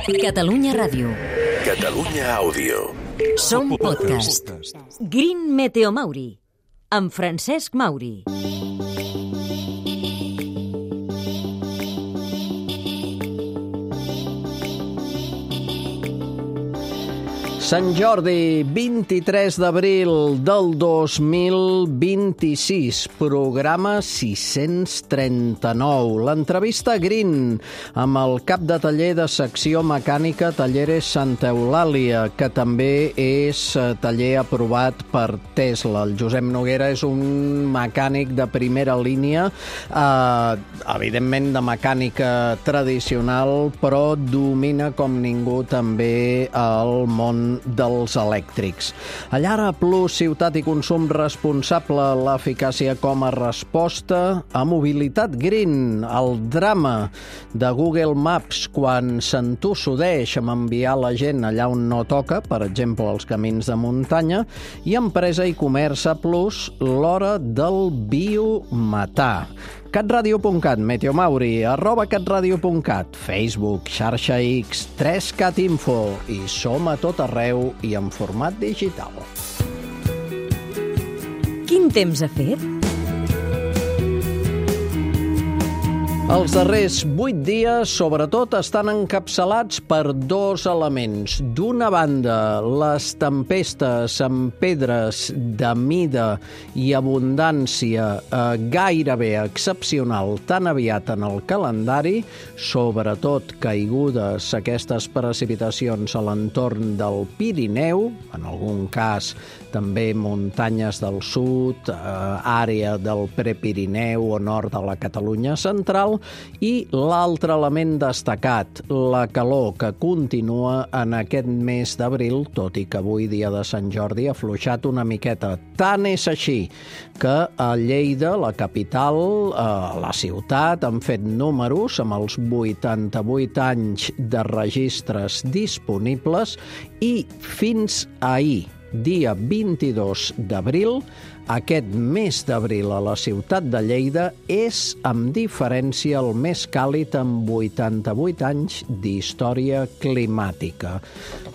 Catalunya Ràdio. Catalunya Àudio. Som podcast. Green Meteo Mauri, amb Francesc Mauri. Sant Jordi, 23 d'abril del 2026, programa 639. L'entrevista Green amb el cap de taller de secció mecànica Talleres Santa Eulàlia, que també és taller aprovat per Tesla. El Josep Noguera és un mecànic de primera línia, evidentment de mecànica tradicional, però domina com ningú també el món dels elèctrics. A Llara Plus, ciutat i consum responsable, l'eficàcia com a resposta a mobilitat green, el drama de Google Maps quan s'entossudeix amb enviar la gent allà on no toca, per exemple, els camins de muntanya, i Empresa i Comerç Plus, l'hora del biometà. catradio.cat, Meteo Mauri, @catradio.cat, Facebook, xarxa X, 3Cat Info, i som a tot arreu i en format digital. Quin temps ha fet? Els darrers 8 dies, sobretot, estan encapçalats per dos elements. D'una banda, les tempestes amb pedres de mida i abundància gairebé excepcional tan aviat en el calendari, sobretot caigudes aquestes precipitacions a l'entorn del Pirineu, en algun cas també muntanyes del sud, àrea del Prepirineu o nord de la Catalunya central, i l'altre element destacat, la calor que continua en aquest mes d'abril, tot i que avui, dia de Sant Jordi, ha afluixat una miqueta. Tant és així que a Lleida, la capital, la ciutat, han fet números amb els 88 anys de registres disponibles i fins ahir, dia 22 d'abril, aquest mes d'abril a la ciutat de Lleida és, amb diferència, el més càlid en 88 anys d'història climàtica.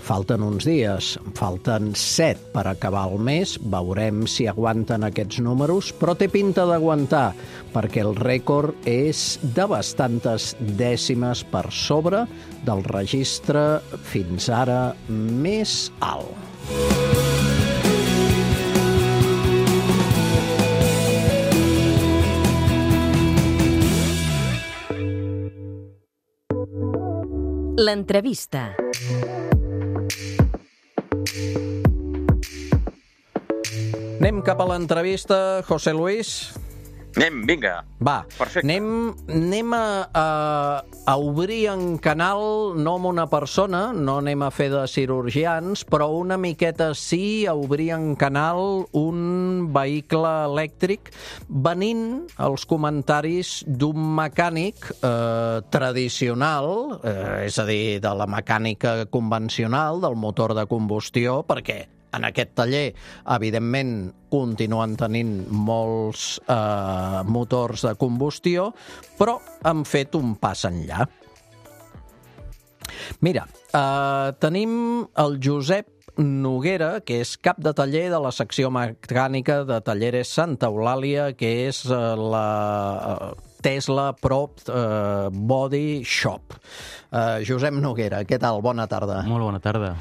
Falten uns dies, falten 7 per acabar el mes, veurem si aguanten aquests números, però té pinta d'aguantar, perquè el rècord és de bastantes dècimes per sobre del registre fins ara més alt. L'entrevista. Anem cap a l'entrevista, José Luis. Anem, vinga. Va, perfecte. anem a obrir en canal, no amb una persona, no anem a fer de cirurgians, però una miqueta sí a obrir en canal un vehicle elèctric, venint els comentaris d'un mecànic tradicional, és a dir, de la mecànica convencional, del motor de combustió, perquè en aquest taller, evidentment, continuen tenint molts motors de combustió, però han fet un pas enllà. Mira, tenim el Josep Noguera, que és cap de taller de la secció mecànica de Talleres Santa Eulàlia, que és la Tesla Pro Body Shop. Josep Noguera, què tal? Bona tarda. Molt bona tarda.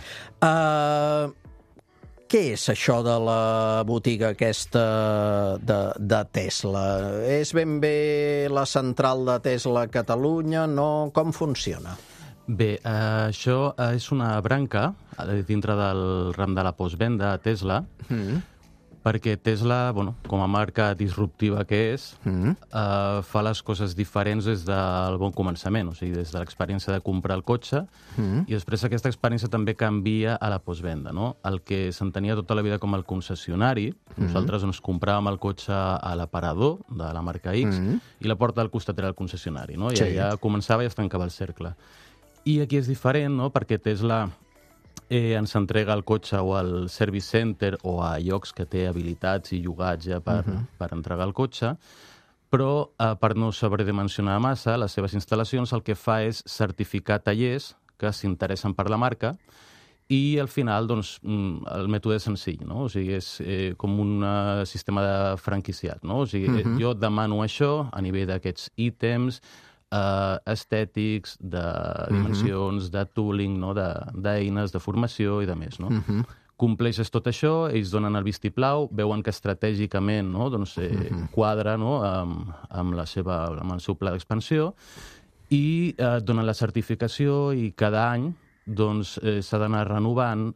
Què és això de la botiga aquesta de Tesla? És ben bé la central de Tesla a Catalunya? No? Com funciona? Bé, això és una branca dintre del ram de la postvenda a Tesla, perquè Tesla, com a marca disruptiva que és, fa les coses diferents des del bon començament, o sigui, des de l'experiència de comprar el cotxe, i després aquesta experiència també canvia a la postvenda, no? El que s'entenia tota la vida com el concessionari, nosaltres ens compràvem el cotxe a l'aparador de la marca X, i la porta del costat era el concessionari, no? I allà començava i es tancava el cercle. I aquí és diferent, no? Perquè Tesla ens entrega el cotxe o al service center o a llocs que té habilitats i llogats ja per entregar el cotxe, però per no sobredimensionar massa les seves instal·lacions el que fa és certificar tallers que s'interessen per la marca, i al final doncs, el mètode és senzill, no? O sigui, és com un sistema de franquiciat, no? O sigui, jo demano això a nivell d'aquests ítems estètics, de dimensions, de tooling, no? D'eines, de formació i de més, no? Compleixes tot això, ells donen el vistiplau, veuen que estratègicament, no? Doncs, quadra, no? amb el seu pla d'expansió, i donen la certificació, i cada any doncs s'ha d'anar renovant.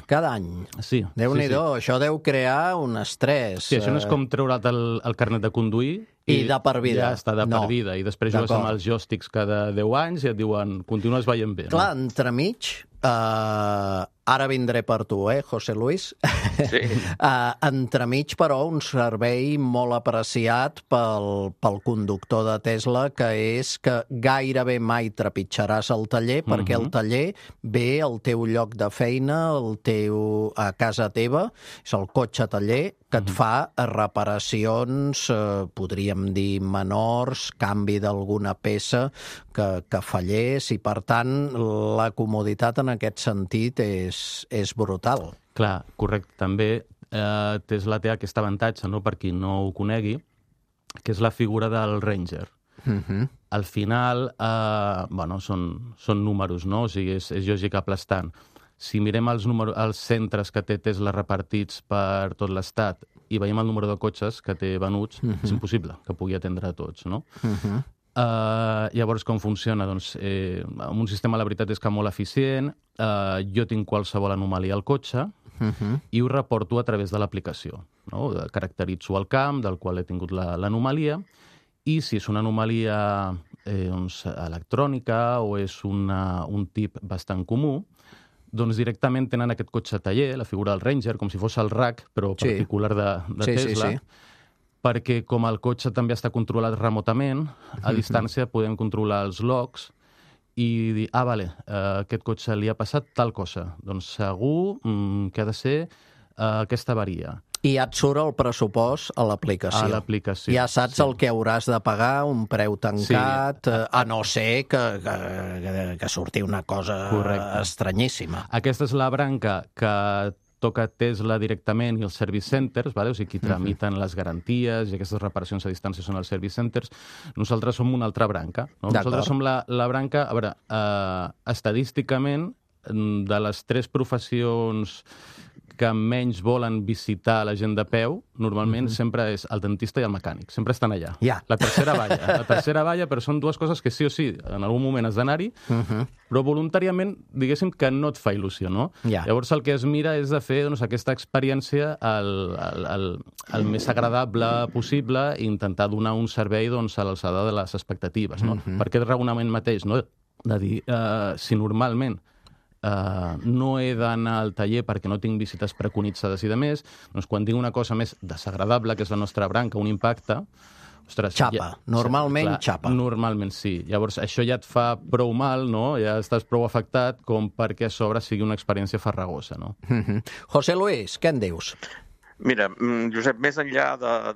Cada any? Sí. Déu-n'hi-do, això deu crear un estrès. Sí, això no és com treure't el carnet de conduir i de per vida. Ja està de per vida, i després jugues amb els joysticks cada 10 anys i et diuen, continues veient bé. Clar, entremig, ara vindré per tu, José Luis? Sí. Entremig, però, un servei molt apreciat pel conductor de Tesla, que és que gairebé mai trepitjaràs el taller, perquè el taller ve al teu lloc de feina, a casa teva, és el cotxe taller, que et fa reparacions, podríem dir menors, canvi d'alguna peça que fallés, i per tant la comoditat en aquest sentit és brutal. Clar, correcte. També Tesla té aquest avantatge, no? Per qui no ho conegui, que és la figura del Ranger. Al final, són números, no? O sigui, és lògic aplastant. Si mirem els centres que té Tesla repartits per tot l'estat i veiem el número de cotxes que té venuts, és impossible que pugui atendre a tots, no? Llavors, com funciona? Doncs, amb un sistema, la veritat és que molt eficient, jo tinc qualsevol anomalia al cotxe i ho reporto a través de l'aplicació, no? Caracteritzo el camp del qual he tingut l'anomalia, i si és una anomalia electrònica o és un tip bastant comú, doncs directament tenen aquest cotxe taller, la figura del Ranger, com si fos el RAC, però particular de Tesla, perquè com el cotxe també està controlat remotament, a distància podem controlar els logs i dir, aquest cotxe li ha passat tal cosa. Doncs segur que ha de ser aquesta avaria. I ja et surt el pressupost a l'aplicació. A l'aplicació. Ja saps el que hauràs de pagar, un preu tancat, a no ser que surti una cosa estranyíssima. Aquesta és la branca que toca Tesla directament i els service centers, o sigui, qui tramiten les garanties i aquestes reparacions a distància són els service centers. Nosaltres som una altra branca. Nosaltres som la branca, a veure, estadísticament, de les 3 professions que menys volen visitar la gent de peu, normalment sempre és el dentista i el mecànic. Sempre estan allà. La tercera balla, però són 2 coses que sí o sí, en algun moment has d'anar-hi, però voluntàriament, diguéssim, que no et fa il·lusió, no? Llavors el que es mira és de fer aquesta experiència el més agradable possible i intentar donar un servei a l'alçada de les expectatives, no? Per aquest raonament mateix, no? De dir, si normalment no he d'anar al taller perquè no tinc visites preconitzades i de més, doncs quan tinc una cosa més desagradable, que és la nostra branca, un impacte, ostres... Xapa, normalment xapa. Normalment sí. Llavors això ja et fa prou mal, no? Ja estàs prou afectat com perquè a sobre sigui una experiència farragosa, no? José Luis, què en dius? Mira, Josep, més enllà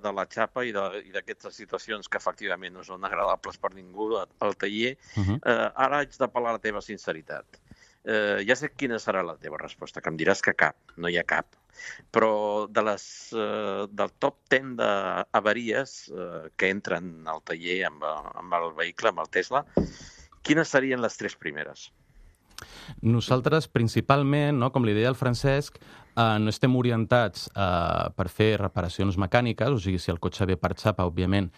de la xapa i d'aquestes situacions que efectivament no són agradables per ningú al taller, ara haig d'apel·lar a la teva sinceritat. Ja sé quina serà la teva resposta, que em diràs que cap, no hi ha cap. Però del top 10 d'avaries que entren al taller amb el vehicle, amb el Tesla, quines serien les 3 primeres? Nosaltres, principalment, com li deia el Francesc, no estem orientats per fer reparacions mecàniques, o sigui, si el cotxe ve per xapa, òbviament,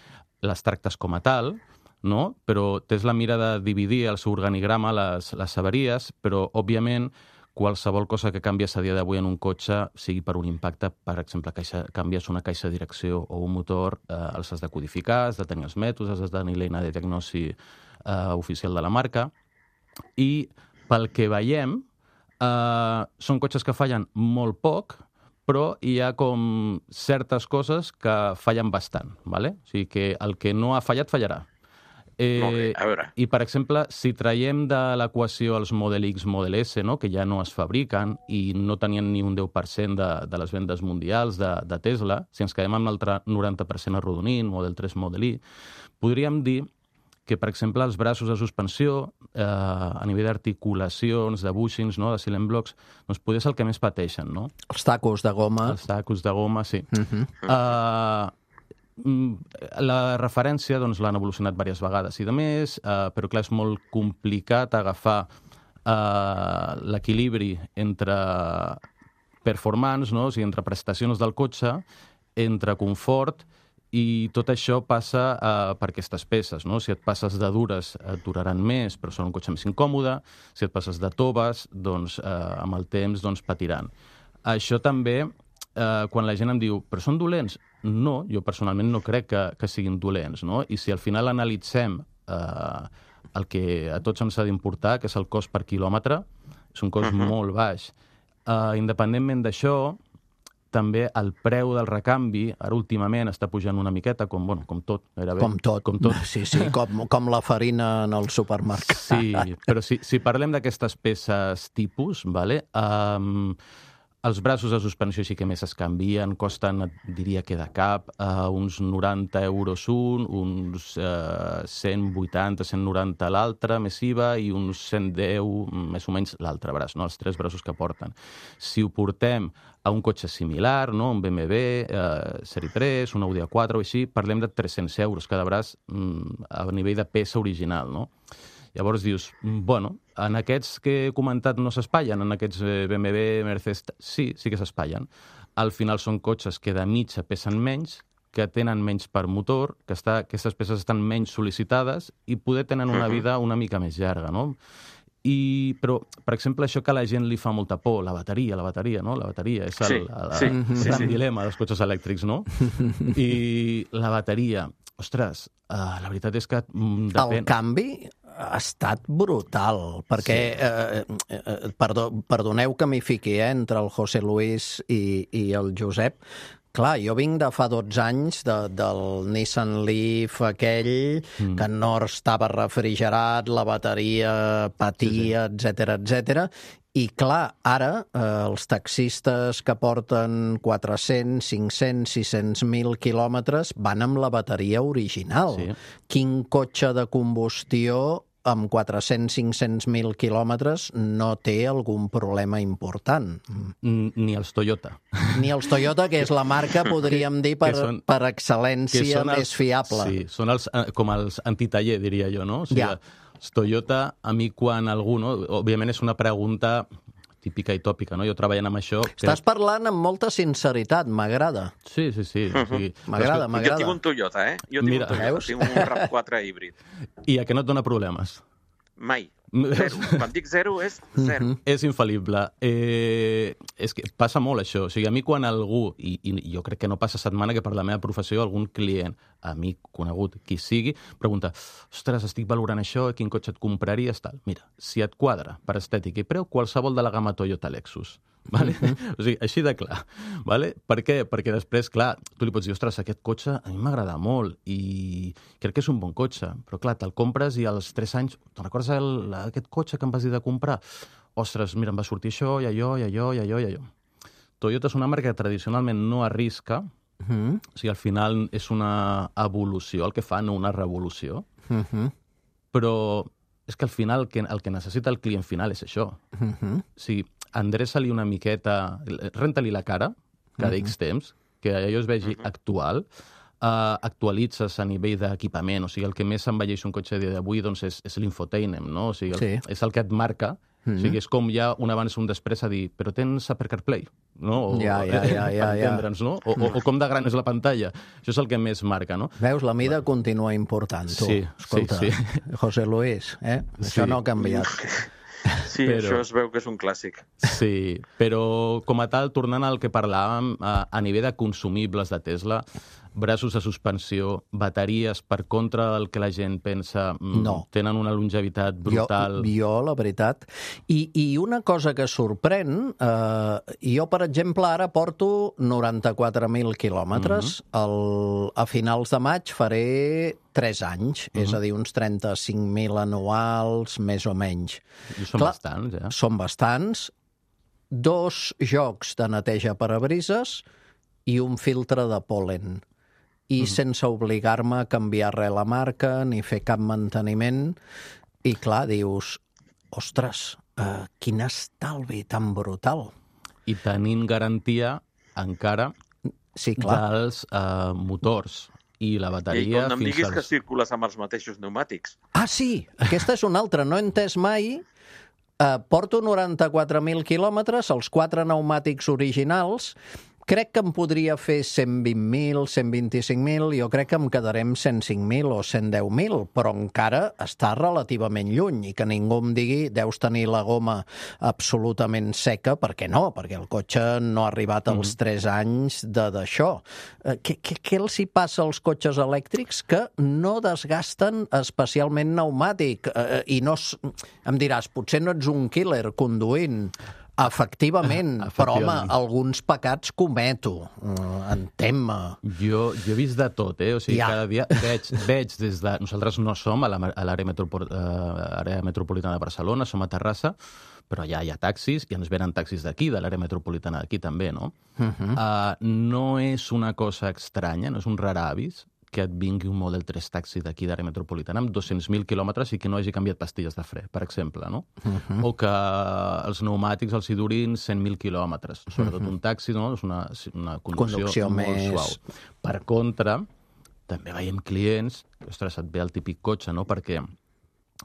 les tractes com a tal, no? Però Tesla mira de dividir el seu organigrama les avaries, però, òbviament, qualsevol cosa que canvies a dia d'avui en un cotxe, sigui per un impacte, per exemple, canvies una caixa de direcció o un motor, els has de codificar, has de tenir els mètodes, has de tenir l'eina de diagnosi oficial de la marca. I pel que veiem, són cotxes que fallen molt poc, però hi ha com certes coses que fallen bastant, ¿vale? O sigui que el que no ha fallat, fallarà. I, per exemple, si traiem de l'equació els Model X, Model S, que ja no es fabriquen i no tenien ni un 10% de les vendes mundials de Tesla, si ens quedem amb l'altre 90% arrodonint, Model 3, Model Y, podríem dir que, per exemple, els braços de suspensió, a nivell d'articulacions, de bushings, no? De silent blocks, doncs poder és el que més pateixen, no? Els tacos de goma. Els tacos de goma, sí. La referència doncs, l'han evolucionat diverses vegades i de més, però clar, és molt complicat agafar l'equilibri entre performance, no? O sigui, entre prestacions del cotxe, entre confort, i tot això passa per aquestes peces, no? Si et passes de dures et duraran més, però són un cotxe més incòmode. Si et passes de toves, doncs amb el temps patiran. Això també, quan la gent em diu però són dolents? No, jo personalment no crec que siguin dolents, no? I si al final analitzem el que a tots ens ha d'importar, que és el cost per quilòmetre, és un cost molt baix. Independentment d'això, també el preu del recanvi, ara últimament està pujant una miqueta, com tot, gairebé. Com tot. Sí, com la farina en el supermercat. Sí, però si parlem d'aquestes peces tipus, vale? Els braços de suspensió sí que més es canvien, costen, diria que de cap, uns 90 euros uns 180, 190 l'altre, més IVA, i uns 110, més o menys, l'altre braç, no? Els 3 braços que porten. Si ho portem a un cotxe similar, no? Un BMW, Sèrie 3, un Audi A4 o així, parlem de 300 euros cada braç a nivell de peça original, no? Llavors dius, en aquests que he comentat no s'espatllen, en aquests BMW, Mercedes, sí que s'espatllen. Al final són cotxes que de mitja pesen menys, que tenen menys per motor, que aquestes peces estan menys sol·licitades i poder tenen una vida una mica més llarga, no? Però, per exemple, això que a la gent li fa molta por, la bateria, no? La bateria és el gran dilema dels cotxes elèctrics, no? I la bateria, ostres, la veritat és que depèn... El canvi ha estat brutal, perquè, perdoneu que m'hi fiqui, entre el José Luis i el Josep. Clar, jo vinc de fa 12 anys del Nissan Leaf aquell, que no estava refrigerat, la bateria patia, etcètera. I clar, ara els taxistes que porten 400, 500, 600.000 quilòmetres van amb la bateria original. Sí. Quin cotxe de combustió amb 400-500.000 quilòmetres no té algun problema important? Ni els Toyota. Ni els Toyota, que és la marca, podríem dir, per excel·lència més fiable. Sí, són com els antitaller, diria jo, no? O sigui, els Toyota, a mi quan algú, no? Òbviament és una pregunta típica i tòpica, no? Jo treballant amb això... Estàs parlant amb molta sinceritat, m'agrada. Sí. M'agrada. Jo tinc un Toyota, Jo tinc un Toyota, tinc un RAV4 híbrid. I a què no et dona problemes? Mai. Zero. Quan dic zero, és zero. És infal·lible. És que passa molt, això. O sigui, a mi quan algú, i jo crec que no passa setmana que per la meva professió algun client, amic, conegut, qui sigui, pregunta, ostres, estic valorant això, quin cotxe et compraries, tal. Mira, si et quadra per estètica i preu, qualsevol de la gamma Toyota Lexus. Vale? O sigui, així de clar. Vale? Per què? Perquè després, clar, tu li pots dir, ostres, aquest cotxe a mi m'agrada molt i crec que és un bon cotxe, però clar, te'l compres i als 3 anys, te'n recordes aquest cotxe que em vas dir de comprar? Ostres, mira, em va sortir això i allò. Toyota és una marca que tradicionalment no arrisca, o sigui, al final és una evolució, el que fa, no una revolució, però és que al final el que necessita el client final és això. O sigui, endreça-li una miqueta, renta-li la cara cada X temps, que allò es vegi actual, actualitzes a nivell d'equipament, o sigui, el que més s'envelleix un cotxe a dia d'avui doncs és l'infotainment, no? O sigui, és el que et marca, o sigui, és com ja un abans i un després a dir, però tens Apple CarPlay, no? Ja. Entendre'ns, no? O com de gran és la pantalla. Això és el que més marca, no? Veus, la mida continua important, tu. Sí, escolta, José Luis, això no ha canviat. Sí, això es veu que és un clàssic. Sí, però com a tal, tornant al que parlàvem, a nivell de consumibles de Tesla, braços de suspensió, bateries, per contra del que la gent pensa, tenen una longevitat brutal. Jo, la veritat. I una cosa que sorprèn, jo, per exemple, ara porto 94.000 quilòmetres. A finals de maig faré 3 anys, és a dir, uns 35.000 anuals, més o menys. I són bastants, Són bastants. 2 jocs de neteja parabrises i un filtre de pol·len. i sense obligar-me a canviar res la marca ni fer cap manteniment. I clar, dius, ostres, quin estalvi tan brutal. I tenint garantia encara dels motors i la bateria... I no em diguis que circules amb els mateixos pneumàtics. Ah, sí, aquesta és una altra, no he entès mai. Porto 94.000 quilòmetres, els 4 pneumàtics originals. Crec que em podria fer 120.000, 125.000, jo crec que em quedaré amb 105.000 o 110.000, però encara està relativament lluny i que ningú em digui deus tenir la goma absolutament seca, perquè no, perquè el cotxe no ha arribat als 3 anys d'això. Què els hi passa als cotxes elèctrics? Que no desgasten especialment pneumàtic i no... Em diràs, potser no ets un killer conduint. Efectivament, però home, alguns pecats cometo, entén-me. Jo he vist de tot, O sigui, cada dia veig des de... Nosaltres no som a l'àrea metropolitana de Barcelona, som a Terrassa, però ja hi ha taxis i ens venen taxis d'aquí, de l'àrea metropolitana d'aquí també, no? No és una cosa estranya, no és un rar avis que et vingui un Model 3 taxi d'aquí d'àrea metropolitana amb 200.000 quilòmetres i que no hagi canviat pastilles de fre, per exemple, no? O que els pneumàtics els hi durin 100.000 quilòmetres. Sobretot un taxi, no? És una conducció molt suau. Per contra, també veiem clients, ostres, et ve el típic cotxe, no? Perquè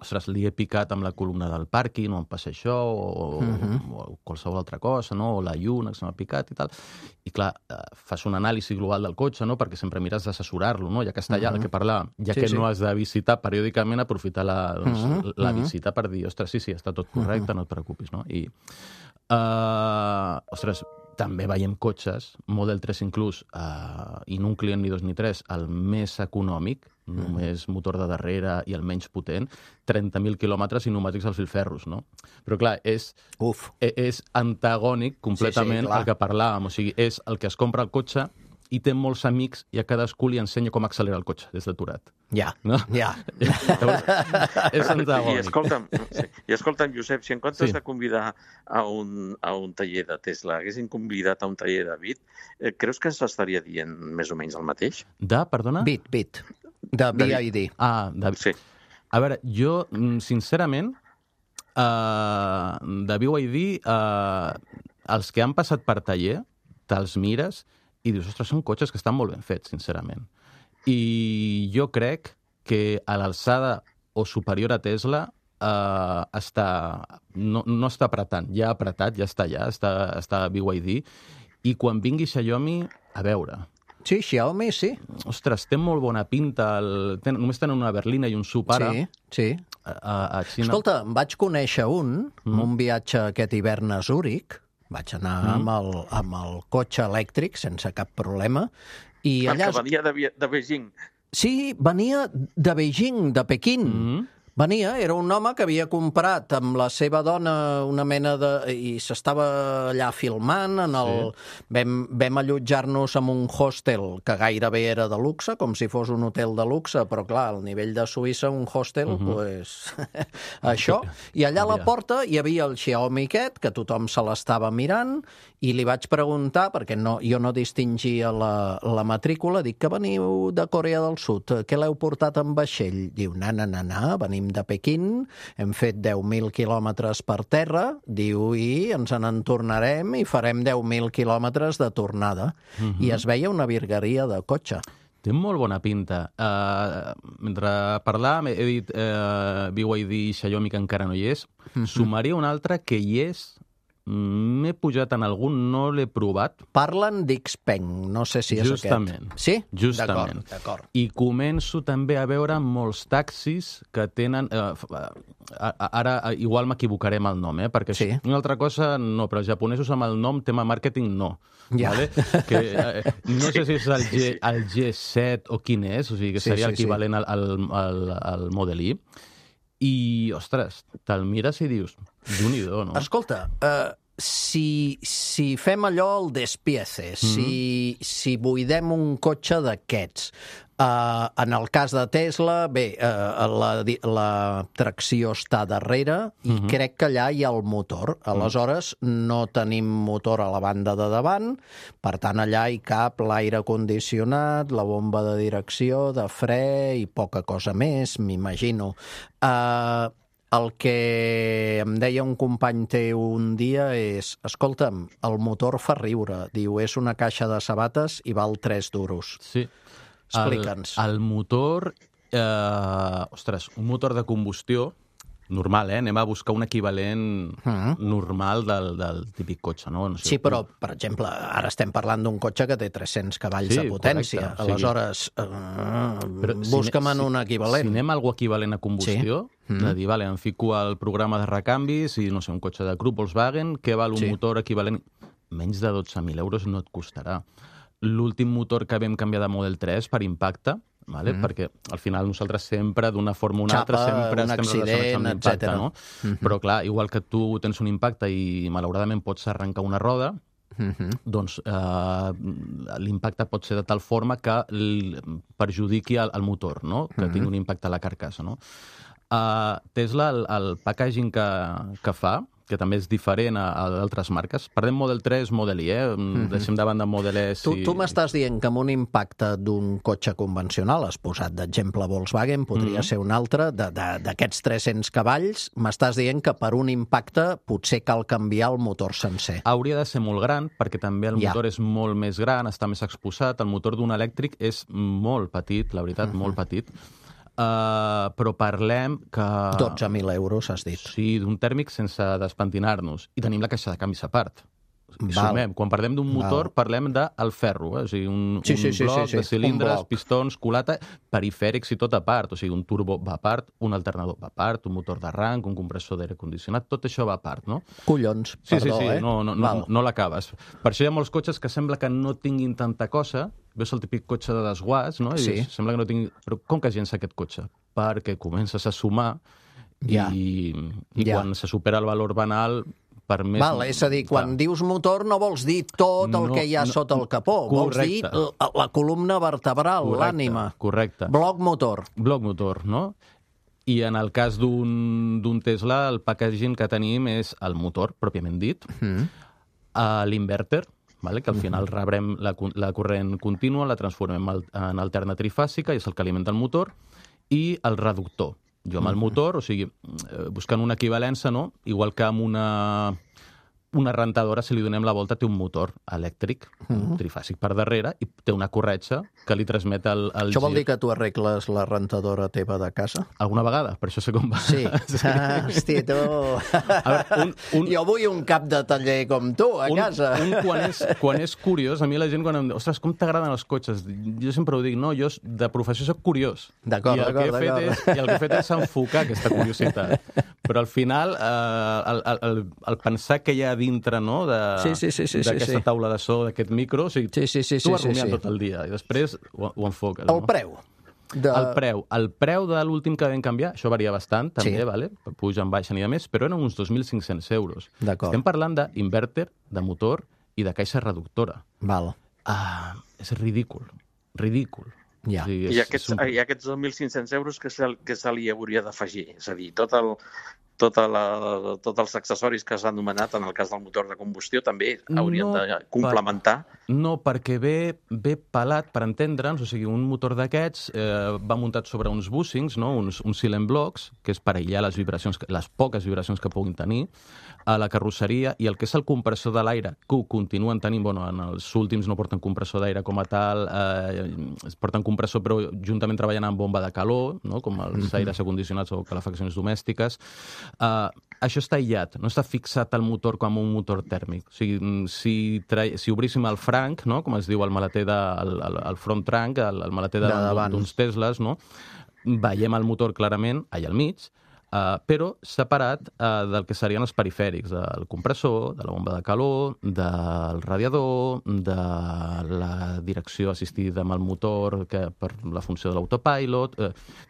ostres, li he picat amb la columna del pàrquing, no em passa això, o qualsevol altra cosa, no? O la lluna que se m'ha picat i tal. I clar, fas un anàlisi global del cotxe, no? Perquè sempre mires d'assessorar-lo, no? Ja que està allà, el que parlàvem, ja que no has de visitar periòdicament, aprofitar la visita per dir, ostres, sí, està tot correcte, no et preocupis, no? I, ostres, també veiem cotxes, Model 3 inclús, i no un client ni 2 ni 3, el més econòmic, només motor de darrere i el menys potent, 30.000 quilòmetres i pneumàtics als filferros, no? Però clar, és antagònic completament al que parlàvem, o sigui, és el que es compra el cotxe i té molts amics i a cadascú li ensenya com accelerar el cotxe des d'aturat. Ja. És antagònic. I escolta'm, Josep, si en comptes de convidar a un taller de Tesla haguessin convidat a un taller de Bit, creus que s'estaria dient més o menys el mateix? Perdona? Bit. De BID. Sí. A veure, jo, sincerament, de BYD, els que han passat per taller, te'ls mires i dius, ostres, són cotxes que estan molt ben fets, sincerament. I jo crec que a l'alçada o superior a Tesla no està apretant. Ja ha apretat, ja està allà, està BYD. I quan vingui Xiaomi, a veure... Sí, Xiaomi, sí. Ostres, té molt bona pinta. Només tenen una berlina i un SUV ara. Sí. A Xina. Escolta, em vaig conèixer un viatge aquest hivern a Zúrich. Vaig anar amb el cotxe elèctric sense cap problema. I allà... Que venia de Beijing. Sí, venia de Beijing, de Pequín. Venia, era un home que havia comprat amb la seva dona una mena de... i s'estava allà filmant. Vam allotjar-nos en un hostel que gairebé era de luxe, com si fos un hotel de luxe, però clar, al nivell de Suïssa, un hostel, doncs... això. I allà a la porta hi havia el Xiaomi aquest, que tothom se l'estava mirant, i li vaig preguntar, perquè jo no distingia la matrícula, dic que veniu de Corea del Sud, què l'heu portat en vaixell? Diu, venim de Pequín, hem fet 10.000 quilòmetres per terra, diu, i ens en tornarem i farem 10.000 quilòmetres de tornada. I es veia una virgueria de cotxe. Té molt bona pinta. Mentre parlàvem, he dit BYD i Xiaomi, que encara no hi és. Sumaria un altre que hi és. M'he pujat en algun, no l'he provat. Parlen d'Xpeng, no sé si és Justament. aquest. Sí? Justament. D'acord. I començo també a veure molts taxis que tenen... Ara igual m'equivocaré amb el nom, perquè una altra cosa no, però els japonesos amb el nom, tema màrqueting, no. Ja. Vale? Que, no sé si és el G7 o quin és, o sigui, que seria equivalent al Model I. I, ostres, te'l mires i dius, Déu-n'hi-do, no? Escolta, si fem allò el despieces, si buidem un cotxe d'aquests, En el cas de Tesla, bé, la tracció està darrere i crec que allà hi ha el motor. Aleshores, no tenim motor a la banda de davant, per tant, allà hi cap l'aire condicionat, la bomba de direcció, de fre i poca cosa més, m'imagino. El que em deia un company teu un dia és, escolta'm, el motor fa riure. Diu, és una caixa de sabates i val 3 duros. Sí. Explica'ns. El motor... un motor de combustió normal, anem a buscar un equivalent normal del típic cotxe, no? Sí, però, per exemple, ara estem parlant d'un cotxe que té 300 cavalls de potència. Correcte. Aleshores, busca'm en un equivalent. Si anem a algú equivalent a combustió, de dir, vale, em fico al programa de recanvis i, no sé, un cotxe de Krupp Volkswagen, què val un motor equivalent? Menys de 12.000 euros no et costarà. L'últim motor que vam canviar de Model 3 per impacte, vale? Perquè al final nosaltres sempre, d'una forma o una altra, sempre estem relacionats amb l'impacte, no? Però clar, igual que tu tens un impacte i malauradament pots arrencar una roda, doncs l'impacte pot ser de tal forma que perjudiqui el motor, no? Que tingui un impacte a la carcassa, no? Tesla, el packaging que fa, que també és diferent a d'altres marques. Parlem Model 3, Model I, deixem de banda Model S. Tu m'estàs dient que amb un impacte d'un cotxe convencional, has posat d'exemple Volkswagen, podria ser un altre, d'aquests 300 cavalls, m'estàs dient que per un impacte potser cal canviar el motor sencer. Hauria de ser molt gran, perquè també el motor és molt més gran, està més exposat. El motor d'un elèctric és molt petit, la veritat, molt petit. Però parlem que... 12.000 euros, has dit. Sí, d'un tèrmic sense despentinar-nos. I tenim la caixa de canvis a part. Quan parlem d'un motor, parlem del ferro, o sigui, un bloc de cilindres, pistons, culata, perifèrics i tot a part. O sigui, un turbo va a part, un alternador va a part, un motor d'arranc, un compressor d'aire condicionat, tot això va a part, no? Collons, perdó, no l'acabes. Per això hi ha molts cotxes que sembla que no tinguin tanta cosa. Veus el típic cotxe de desguàs, no? I dius, sembla que no tingui... Però com que es llença aquest cotxe? Perquè comences a sumar i quan se supera el valor banal... És a dir, quan dius motor no vols dir tot el que hi ha sota el capó, vols dir la columna vertebral, l'ànima. Correcte. Bloc motor. Bloc motor, no? I en el cas d'un Tesla, el packaging que tenim és el motor, pròpiament dit, l'inverter, que al final rebrem la corrent contínua, la transformem en alterna trifàsica, i és el que alimenta el motor, i el reductor. Jo amb el motor, o sigui, buscant una equivalència, no? Igual que amb una rentadora, si li donem la volta, té un motor elèctric, trifàsic per darrere, i té una corretja que li transmet el gir. Això vol dir que tu arregles la rentadora teva de casa? Alguna vegada, per això sé com va. Sí. Hosti, tu... Jo vull un cap de taller com tu, a casa. Quan és curiós, a mi la gent quan em diu, ostres, com t'agraden els cotxes? Jo sempre ho dic, no, jo de professió soc curiós. D'acord. I el que he fet és enfocar aquesta curiositat. Però al final, el pensar que hi ha dintre, no?, d'aquesta taula de so, d'aquest micro, o sigui, tu vas rumiant tot el dia i després ho enfoques. El preu. El preu de l'últim que vam canviar, això varia bastant, també, puja en baixa ni de més, però eren uns 2.500 euros. Estem parlant d'invèrter, de motor i de caixa reductora. És ridícul. I aquests 2.500 euros que se li hauria d'afegir? És a dir, tots els accessoris que s'ha anomenat en el cas del motor de combustió també haurien de complementar? No, perquè ve pelat, per entendre'ns, o sigui, un motor d'aquests va muntat sobre uns bushings, no? uns silent blocks, que és per aïllar les poques vibracions que puguin tenir a la carrosseria, i el que és el compressor de l'aire, que ho continuen tenint, en els últims no porten compressor d'aire com a tal, porten compressor però juntament treballant amb bomba de calor, no? Com els aires acondicionats o calefaccions domèstiques. Això està aïllat, no està fixat al motor com un motor tèrmic. O sigui, si obríssim el franc, no? Com es diu el maleter el front trunk, el maleter d'uns Teslas, no? Veiem el motor clarament allà al mig, però separat del que serien els perifèrics, del compressor, de la bomba de calor, del radiador, de la direcció assistida amb el motor per la funció de l'autopilot.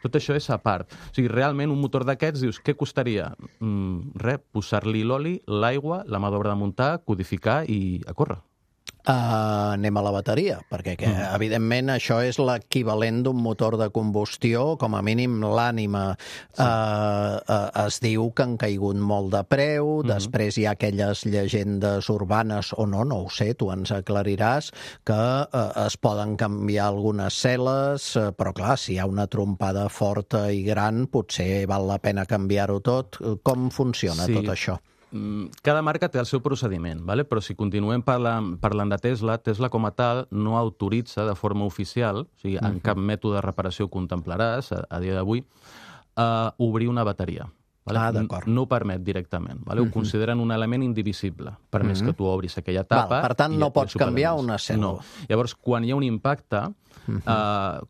Tot això és a part. O sigui, realment un motor d'aquests, dius, què costaria? Res, posar-li l'oli, l'aigua, la mà d'obra de muntar, codificar i a córrer. Anem a la bateria, perquè evidentment això és l'equivalent d'un motor de combustió, com a mínim l'ànima es diu que han caigut molt de preu, després hi ha aquelles llegendes urbanes, o no ho sé, tu ens aclariràs, que es poden canviar algunes cel·les, però clar, si hi ha una trompada forta i gran, potser val la pena canviar-ho tot. Com funciona tot això? Cada marca té el seu procediment, ¿vale? Però si continuem parlant de Tesla, Tesla com a tal no autoritza de forma oficial, o sigui, en cap mètode de reparació contemplaràs, a dia d'avui, obrir una bateria. Vale? No ho permet directament. Vale? Ho consideren un element indivisible, per més que tu obris aquella tapa. Per tant, no pots canviar una cèl·lula. No. Llavors, quan hi ha un impacte,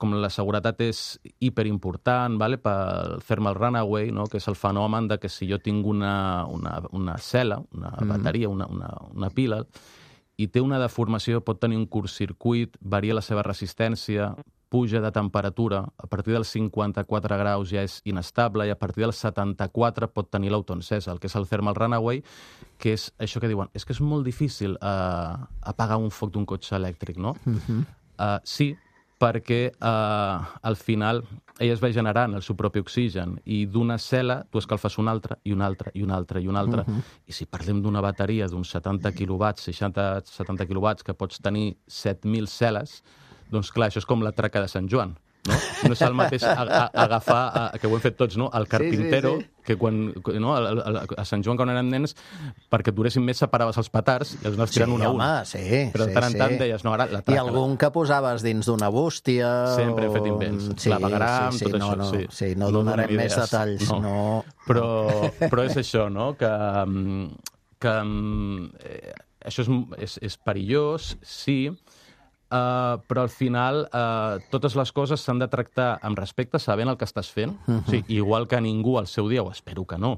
com la seguretat és hiperimportant, vale? Pel thermal runaway, no? Que és el fenomen de que si jo tinc una cel·la, una bateria, una pila, i té una deformació, pot tenir un curtcircuit, varia la seva resistència, puja de temperatura, a partir dels 54 graus ja és inestable i a partir dels 74 pot tenir l'autoencesa, el que és el thermal runaway, que és això que diuen, és que és molt difícil apagar un foc d'un cotxe elèctric, no? Sí, perquè al final ella es va generant el seu propi oxigen i d'una cel·la tu escalfes una altra i una altra i una altra i una altra. I si parlem d'una bateria d'uns 70 quilowatts, 60-70 quilowatts, que pots tenir 7.000 cel·les, doncs clar, això és com la traca de Sant Joan, no? No és el mateix agafar, que ho hem fet tots, no? El carpintero, que quan, no? A Sant Joan, quan érem nens, perquè duressin més, separaves els petards i els anaves tirant un a un. Però de tant en tant deies, no, ara la traca... I algun que posaves dins d'una bústia... Sempre he fet invents. Clavegram, tot això. Sí, no donarem més detalls. Però és això, no? Que això és perillós, sí, però al final totes les coses s'han de tractar amb respecte, sabent el que estàs fent. O sigui, igual que ningú al seu dia, o espero que no.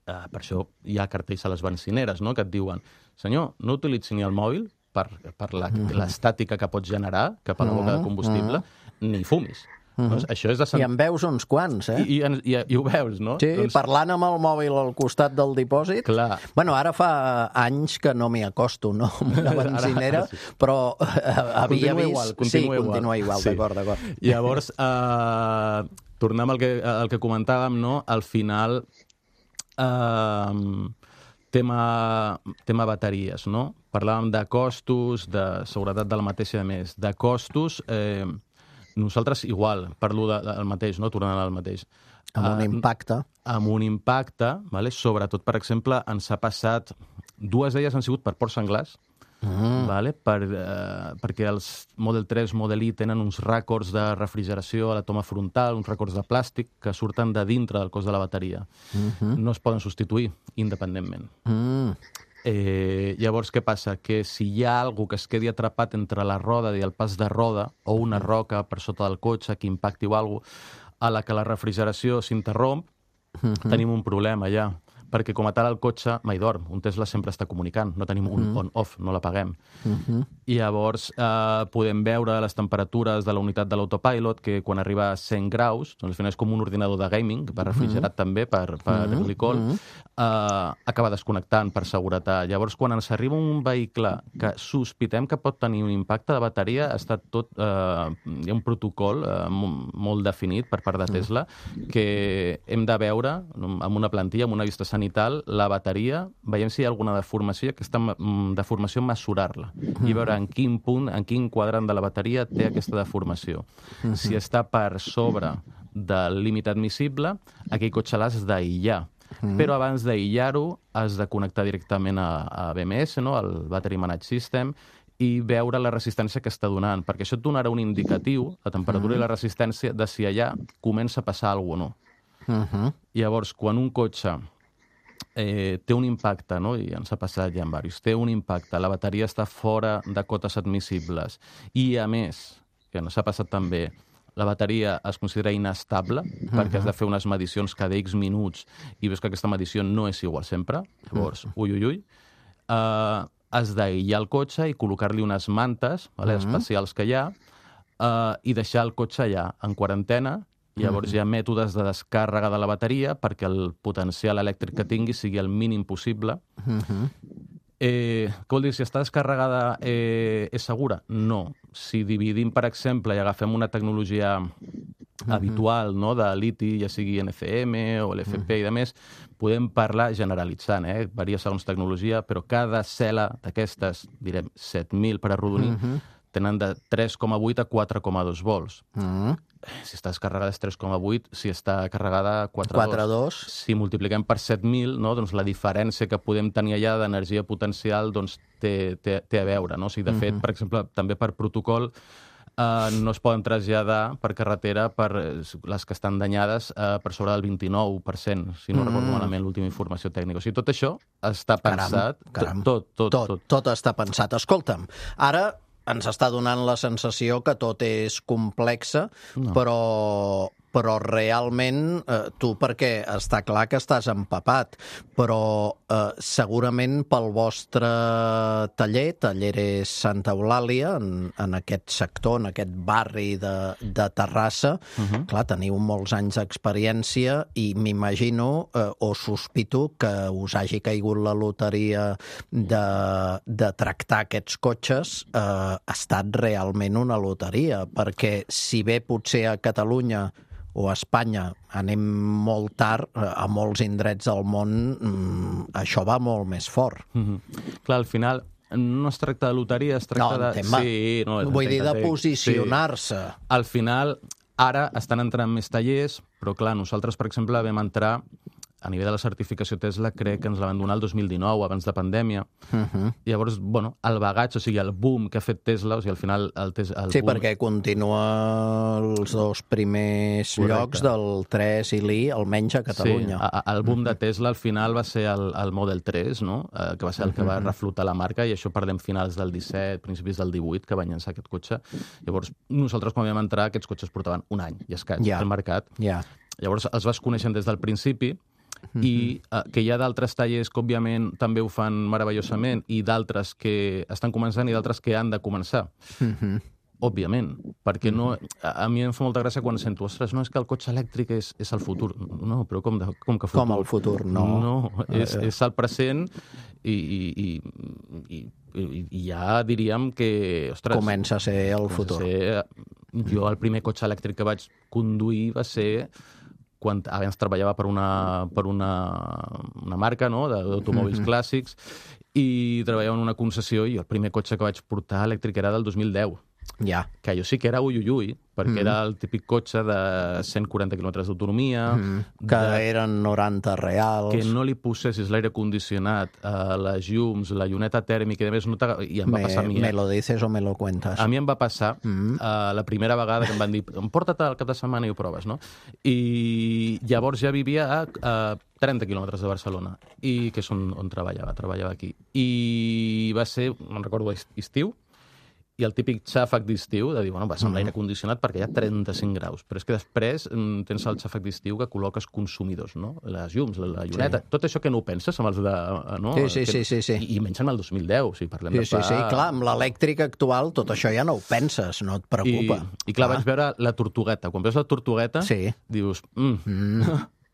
Per això hi ha cartells a les benzineres, no?, que et diuen, senyor, no utilitzi ni el mòbil per l'estàtica que pots generar cap a la boca de combustible, ni fumis. Doncs això és de I en veus uns quants, eh? I ho veus, no? Sí, parlant amb el mòbil al costat del dipòsit. Clar. Bueno, ara fa anys que no m'hi acosto, no?, amb una benzinera, però havia vist... Continua igual, d'acord. Llavors, tornem al que comentàvem, no?, al final, tema bateries, no? Parlàvem de costos, de seguretat de la mateixa, a més. De costos... Nosaltres igual, parlo del mateix, no? Tornant al mateix. Amb un impacte. Amb un impacte, vale? Sobretot, per exemple, ens ha passat... Dues d'elles han sigut per ports senglars, vale? Perquè els Model 3, Model I tenen uns rècords de refrigeració a la toma frontal, uns rècords de plàstic que surten de dintre del cos de la bateria. No es poden substituir independentment. Llavors, què passa? Que si hi ha algú que es quedi atrapat entre la roda i el pas de roda, o una roca per sota del cotxe que impacti o alguna cosa, a la que la refrigeració s'interromp, tenim un problema ja. Perquè com a tal el cotxe mai dorm. Un Tesla sempre està comunicant. No tenim un on-off, no l'apaguem. I llavors podem veure les temperatures de la unitat de l'autopilot, que quan arriba a 100 graus, doncs al final és com un ordinador de gaming, per refrigerat també, per glicol, acaba desconnectant per seguretat. Llavors, quan ens arriba un vehicle que sospitem que pot tenir un impacte de bateria, està tot... hi ha un protocol molt definit per part de Tesla que hem de veure amb una plantilla, amb una vista sanitària, la bateria, veiem si hi ha alguna deformació, aquesta deformació mesurar-la i veure en quin punt, en quin quadrant de la bateria té aquesta deformació. Si està per sobre del límit admissible, aquell cotxe l'has d'aïllar. Però abans d'aïllar-ho has de connectar directament a BMS, no? Al Battery Management System, i veure la resistència que està donant, perquè això et donarà un indicatiu, la temperatura i la resistència, de si allà comença a passar alguna cosa o no. Llavors, quan un cotxe té un impacte, no? I ens ha passat ja en diversos, té un impacte, la bateria està fora de cotes admissibles i, a més, que ens ha passat també, la bateria es considera inestable perquè has de fer unes medicions cada X minuts i veus que aquesta medició no és igual sempre, llavors, has d'aïllar el cotxe i col·locar-li unes mantes especials que hi ha i deixar el cotxe allà en quarantena. Llavors hi ha mètodes de descàrrega de la bateria perquè el potencial elèctric que tingui sigui el mínim possible Què vol dir? Si està descarregada és segura? No. Si dividim, per exemple, i agafem una tecnologia habitual, no?, de liti, ja sigui NCM o l'FP i de més, podem parlar generalitzant, varia segons tecnologia, però cada cel·la d'aquestes, direm 7.000 per arrodonir, tenen de 3,8 a 4,2 volts. Si està descarregada és 3,8, si està carregada 4,2. Si multipliquem per 7.000, no, doncs la diferència que podem tenir allà d'energia potencial doncs, té a veure. No? O sigui, de fet, per exemple, també per protocol, no es poden traslladar per carretera per les que estan danyades per sobre del 29%, si no recordo malament l'última informació tècnica. O sigui, tot això està pensat. Caram. Tot. Tot està pensat. Escolta'm, ara ens està donant la sensació que tot és complexe, però realment tu, perquè està clar que estàs empapat, però segurament pel vostre taller, Talleres Santa Eulàlia, en aquest sector, en aquest barri de Terrassa, clar, teniu molts anys d'experiència i m'imagino o sospito que us hagi caigut la loteria de tractar aquests cotxes. Ha estat realment una loteria, perquè si bé potser a Catalunya o a Espanya anem molt tard, a molts indrets del món això va molt més fort. Clar, al final no es tracta de loteria, es tracta de... Sí, vull dir de posicionar-se. Sí. Al final, ara estan entrant més tallers, però clar, nosaltres, per exemple, vam entrar a nivell de la certificació Tesla, crec que ens la van donar el 2019, abans de pandèmia. Llavors, bueno, el bagatge, o sigui, el boom que ha fet Tesla, o sigui, al final... Sí, perquè continua els dos primers llocs del 3 i l'I, almenys a Catalunya. Sí, el boom de Tesla al final va ser el Model 3, no? Que va ser el que va reflotar la marca, i això parlem finals del 17, principis del 18, que va llançar aquest cotxe. Llavors, nosaltres, quan vam entrar, aquests cotxes portaven un any i escaig al mercat. Llavors, els vas coneixent des del principi, i que hi ha d'altres tallers que, òbviament, també ho fan meravellosament, i d'altres que estan començant i d'altres que han de començar. Òbviament, perquè no... A mi em fa molta gràcia quan sento, ostres, no, és que el cotxe elèctric és el futur. No, però com que futur? Com el futur, no. No, és el present i ja diríem que, ostres... Comença a ser el futur. Jo el primer cotxe elèctric que vaig conduir va ser... quan abans treballava per una marca, no?, d'automòbils clàssics, i treballava en una concessió, i el primer cotxe que vaig portar elèctric era del 2010. Que allò sí que era ui, perquè era el típic cotxe de 140 quilòmetres d'autonomia. Que eren 90 reals. Que no li posessis l'aire condicionat, les llums, la lluneta tèrmica i a més, i em va passar a mi. Me lo dices o me lo cuentas. A mi em va passar la primera vegada que em van dir porta't al cap de setmana i ho proves, no? I llavors ja vivia a 30 quilòmetres de Barcelona, i que és on treballava aquí. I va ser, me'n recordo, estiu, i el típic xàfec d'estiu, de dir, bueno, vas amb l'aire condicionat perquè hi ha 35 graus, però és que després tens el xàfec d'estiu que col·loques consumidors, no? Les llums, la lluneta, tot això que no ho penses amb els de... No? Sí. I menys en el 2010, o sigui, parlem de fa... Sí, clar, amb l'elèctric actual tot això ja no ho penses, no et preocupa. I clar, vaig veure la tortugueta. Quan veus la tortugueta, dius...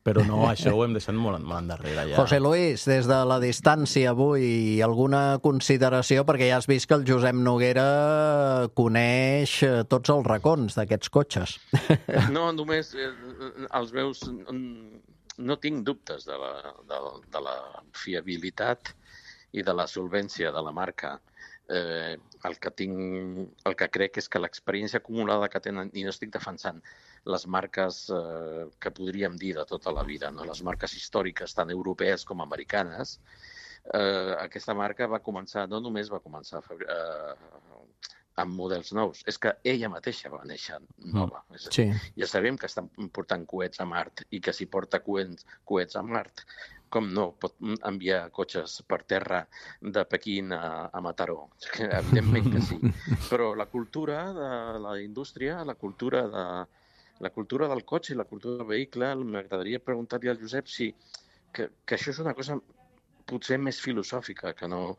Però no, això ho hem deixat molt endarrere ja. José Luis, des de la distància avui, alguna consideració? Perquè ja has vist que el Josep Noguera coneix tots els racons d'aquests cotxes. No, només els meus... No tinc dubtes de la fiabilitat i de la solvència de la marca. El que crec és que l'experiència acumulada que tenen, i no estic defensant les marques que podríem dir de tota la vida, no? Les marques històriques, tant europees com americanes, aquesta marca no només va començar amb models nous, és que ella mateixa va néixer nova. Ja sabem que estan portant coets a Mart i que si porta coets a Mart, com no pot enviar cotxes per terra de Pequín a Mataró? Evidentment que sí. Però la cultura de la indústria, la cultura del cotxe i la cultura del vehicle, m'agradaria preguntar-li al Josep que això és una cosa potser més filosòfica que no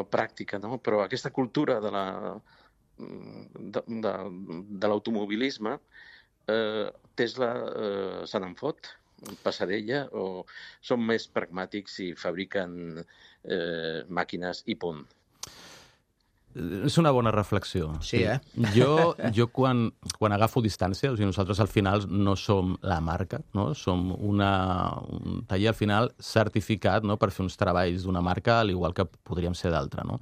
pràctica, no? Però aquesta cultura de l'automobilisme, Tesla se n'en fot. passarella o són més pragmàtics i fabriquen màquines i punt? És una bona reflexió. Sí, eh? Jo quan agafo distància, o sigui, nosaltres al final no som la marca, no? Som un taller al final certificat, no?, per fer uns treballs d'una marca, al igual que podríem ser d'altra, no?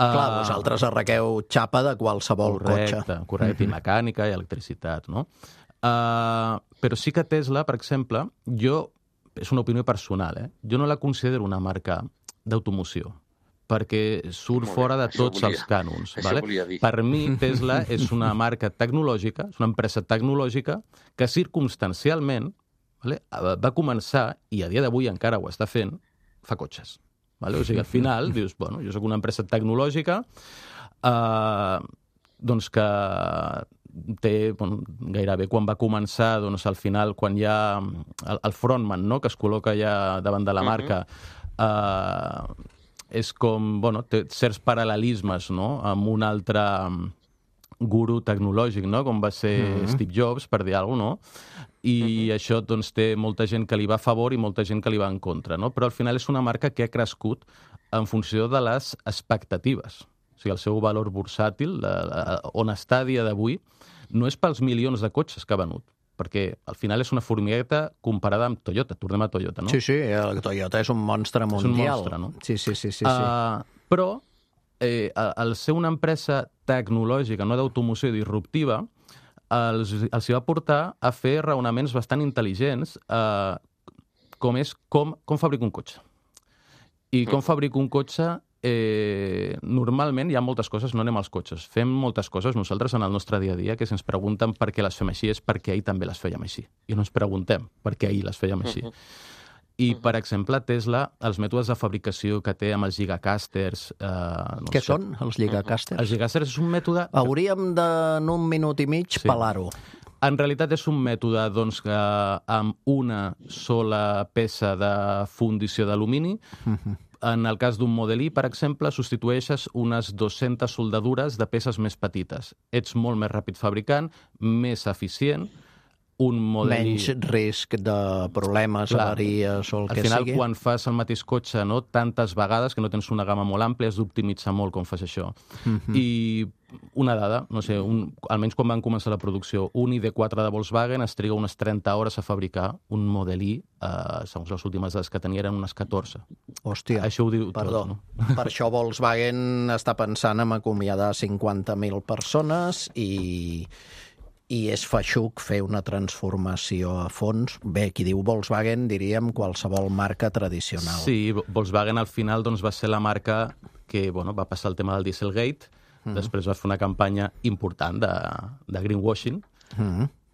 Clar, vosaltres arrequeu xapa de qualsevol cotxe. Correcte, i mecànica i electricitat, no? Però sí que Tesla, per exemple, és una opinió personal, jo no la considero una marca d'automoció, perquè surt fora de tots els cànons. Per mi, Tesla és una marca tecnològica, és una empresa tecnològica que circumstancialment va començar, i a dia d'avui encara ho està fent, fa cotxes. O sigui, al final dius, bueno, jo soc una empresa tecnològica doncs que té, gairebé quan va començar, doncs al final, quan hi ha el frontman, no?, que es col·loca ja davant de la marca, és com, té certs paral·lelismes, no?, amb un altre guru tecnològic, no?, com va ser Steve Jobs, per dir alguna cosa, no? I això, doncs, té molta gent que li va a favor i molta gent que li va en contra, no? Però al final és una marca que ha crescut en funció de les expectatives. O sigui, el seu valor bursàtil, on està a dia d'avui, no és pels milions de cotxes que ha venut, perquè al final és una formigueta comparada amb Toyota. Tornem a Toyota, no? Sí, el Toyota és un monstre mundial. És un monstre, no? Sí. Però, al ser una empresa tecnològica, no d'automoció disruptiva, els hi va portar a fer raonaments bastant intel·ligents, com fabrico un cotxe. I com fabrico un cotxe, normalment hi ha moltes coses, no anem als cotxes. Fem moltes coses nosaltres en el nostre dia a dia que si ens pregunten per què les fem així és perquè ahir també les fèiem així. I no ens preguntem per què ahir les fèiem així. I, per exemple, Tesla, els mètodes de fabricació que té amb els gigacasters... Què són, els gigacasters? Els gigacasters és un mètode... Hauríem de, en un minut i mig, pelar-ho. En realitat és un mètode doncs, que amb una sola peça de fundició d'alumini, en el cas d'un Model I, per exemple, substitueixes unes 200 soldadures de peces més petites. Ets molt més ràpid fabricant, més eficient, un Model I... Menys risc de problemes, avaries o el que sigui. Al final, quan fas el mateix cotxe tantes vegades, que no tens una gamma molt àmplia, has d'optimitzar molt com fas això. I una dada, no sé, almenys quan van començar la producció, un ID4 de Volkswagen es triga unes 30 hores a fabricar un Model I, segons les últimes dades que tenia, eren unes 14. Hòstia, això ho diu perdó. Tot, no? Per això Volkswagen està pensant en acomiadar 50.000 persones i és feixuc fer una transformació a fons. Bé, qui diu Volkswagen, diríem qualsevol marca tradicional. Sí, Volkswagen al final doncs, va ser la marca que va passar el tema del Dieselgate, després va fer una campanya important de greenwashing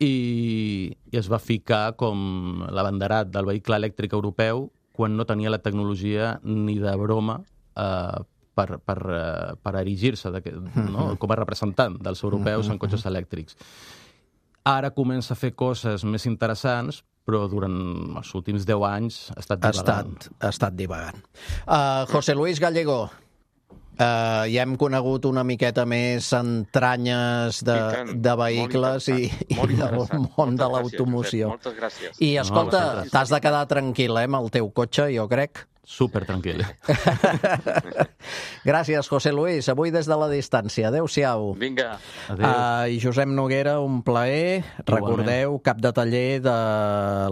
i es va ficar com l'abanderat del vehicle elèctric europeu quan no tenia la tecnologia ni de broma per erigir-se com a representant dels europeus en cotxes elèctrics. Ara comença a fer coses més interessants, però durant els últims 10 anys ha estat divagant. Ha estat divagant. José Luis Gallego, ja hem conegut una miqueta més entranyes de vehicles i del món de l'automoció. Moltes gràcies. I escolta, t'has de quedar tranquil, amb el teu cotxe, jo crec. Super tranquil. Gràcies, José Luis. Avui des de la distància. Adéu-siau. Vinga. I Josep Noguera, un plaer. Recordeu, cap de taller de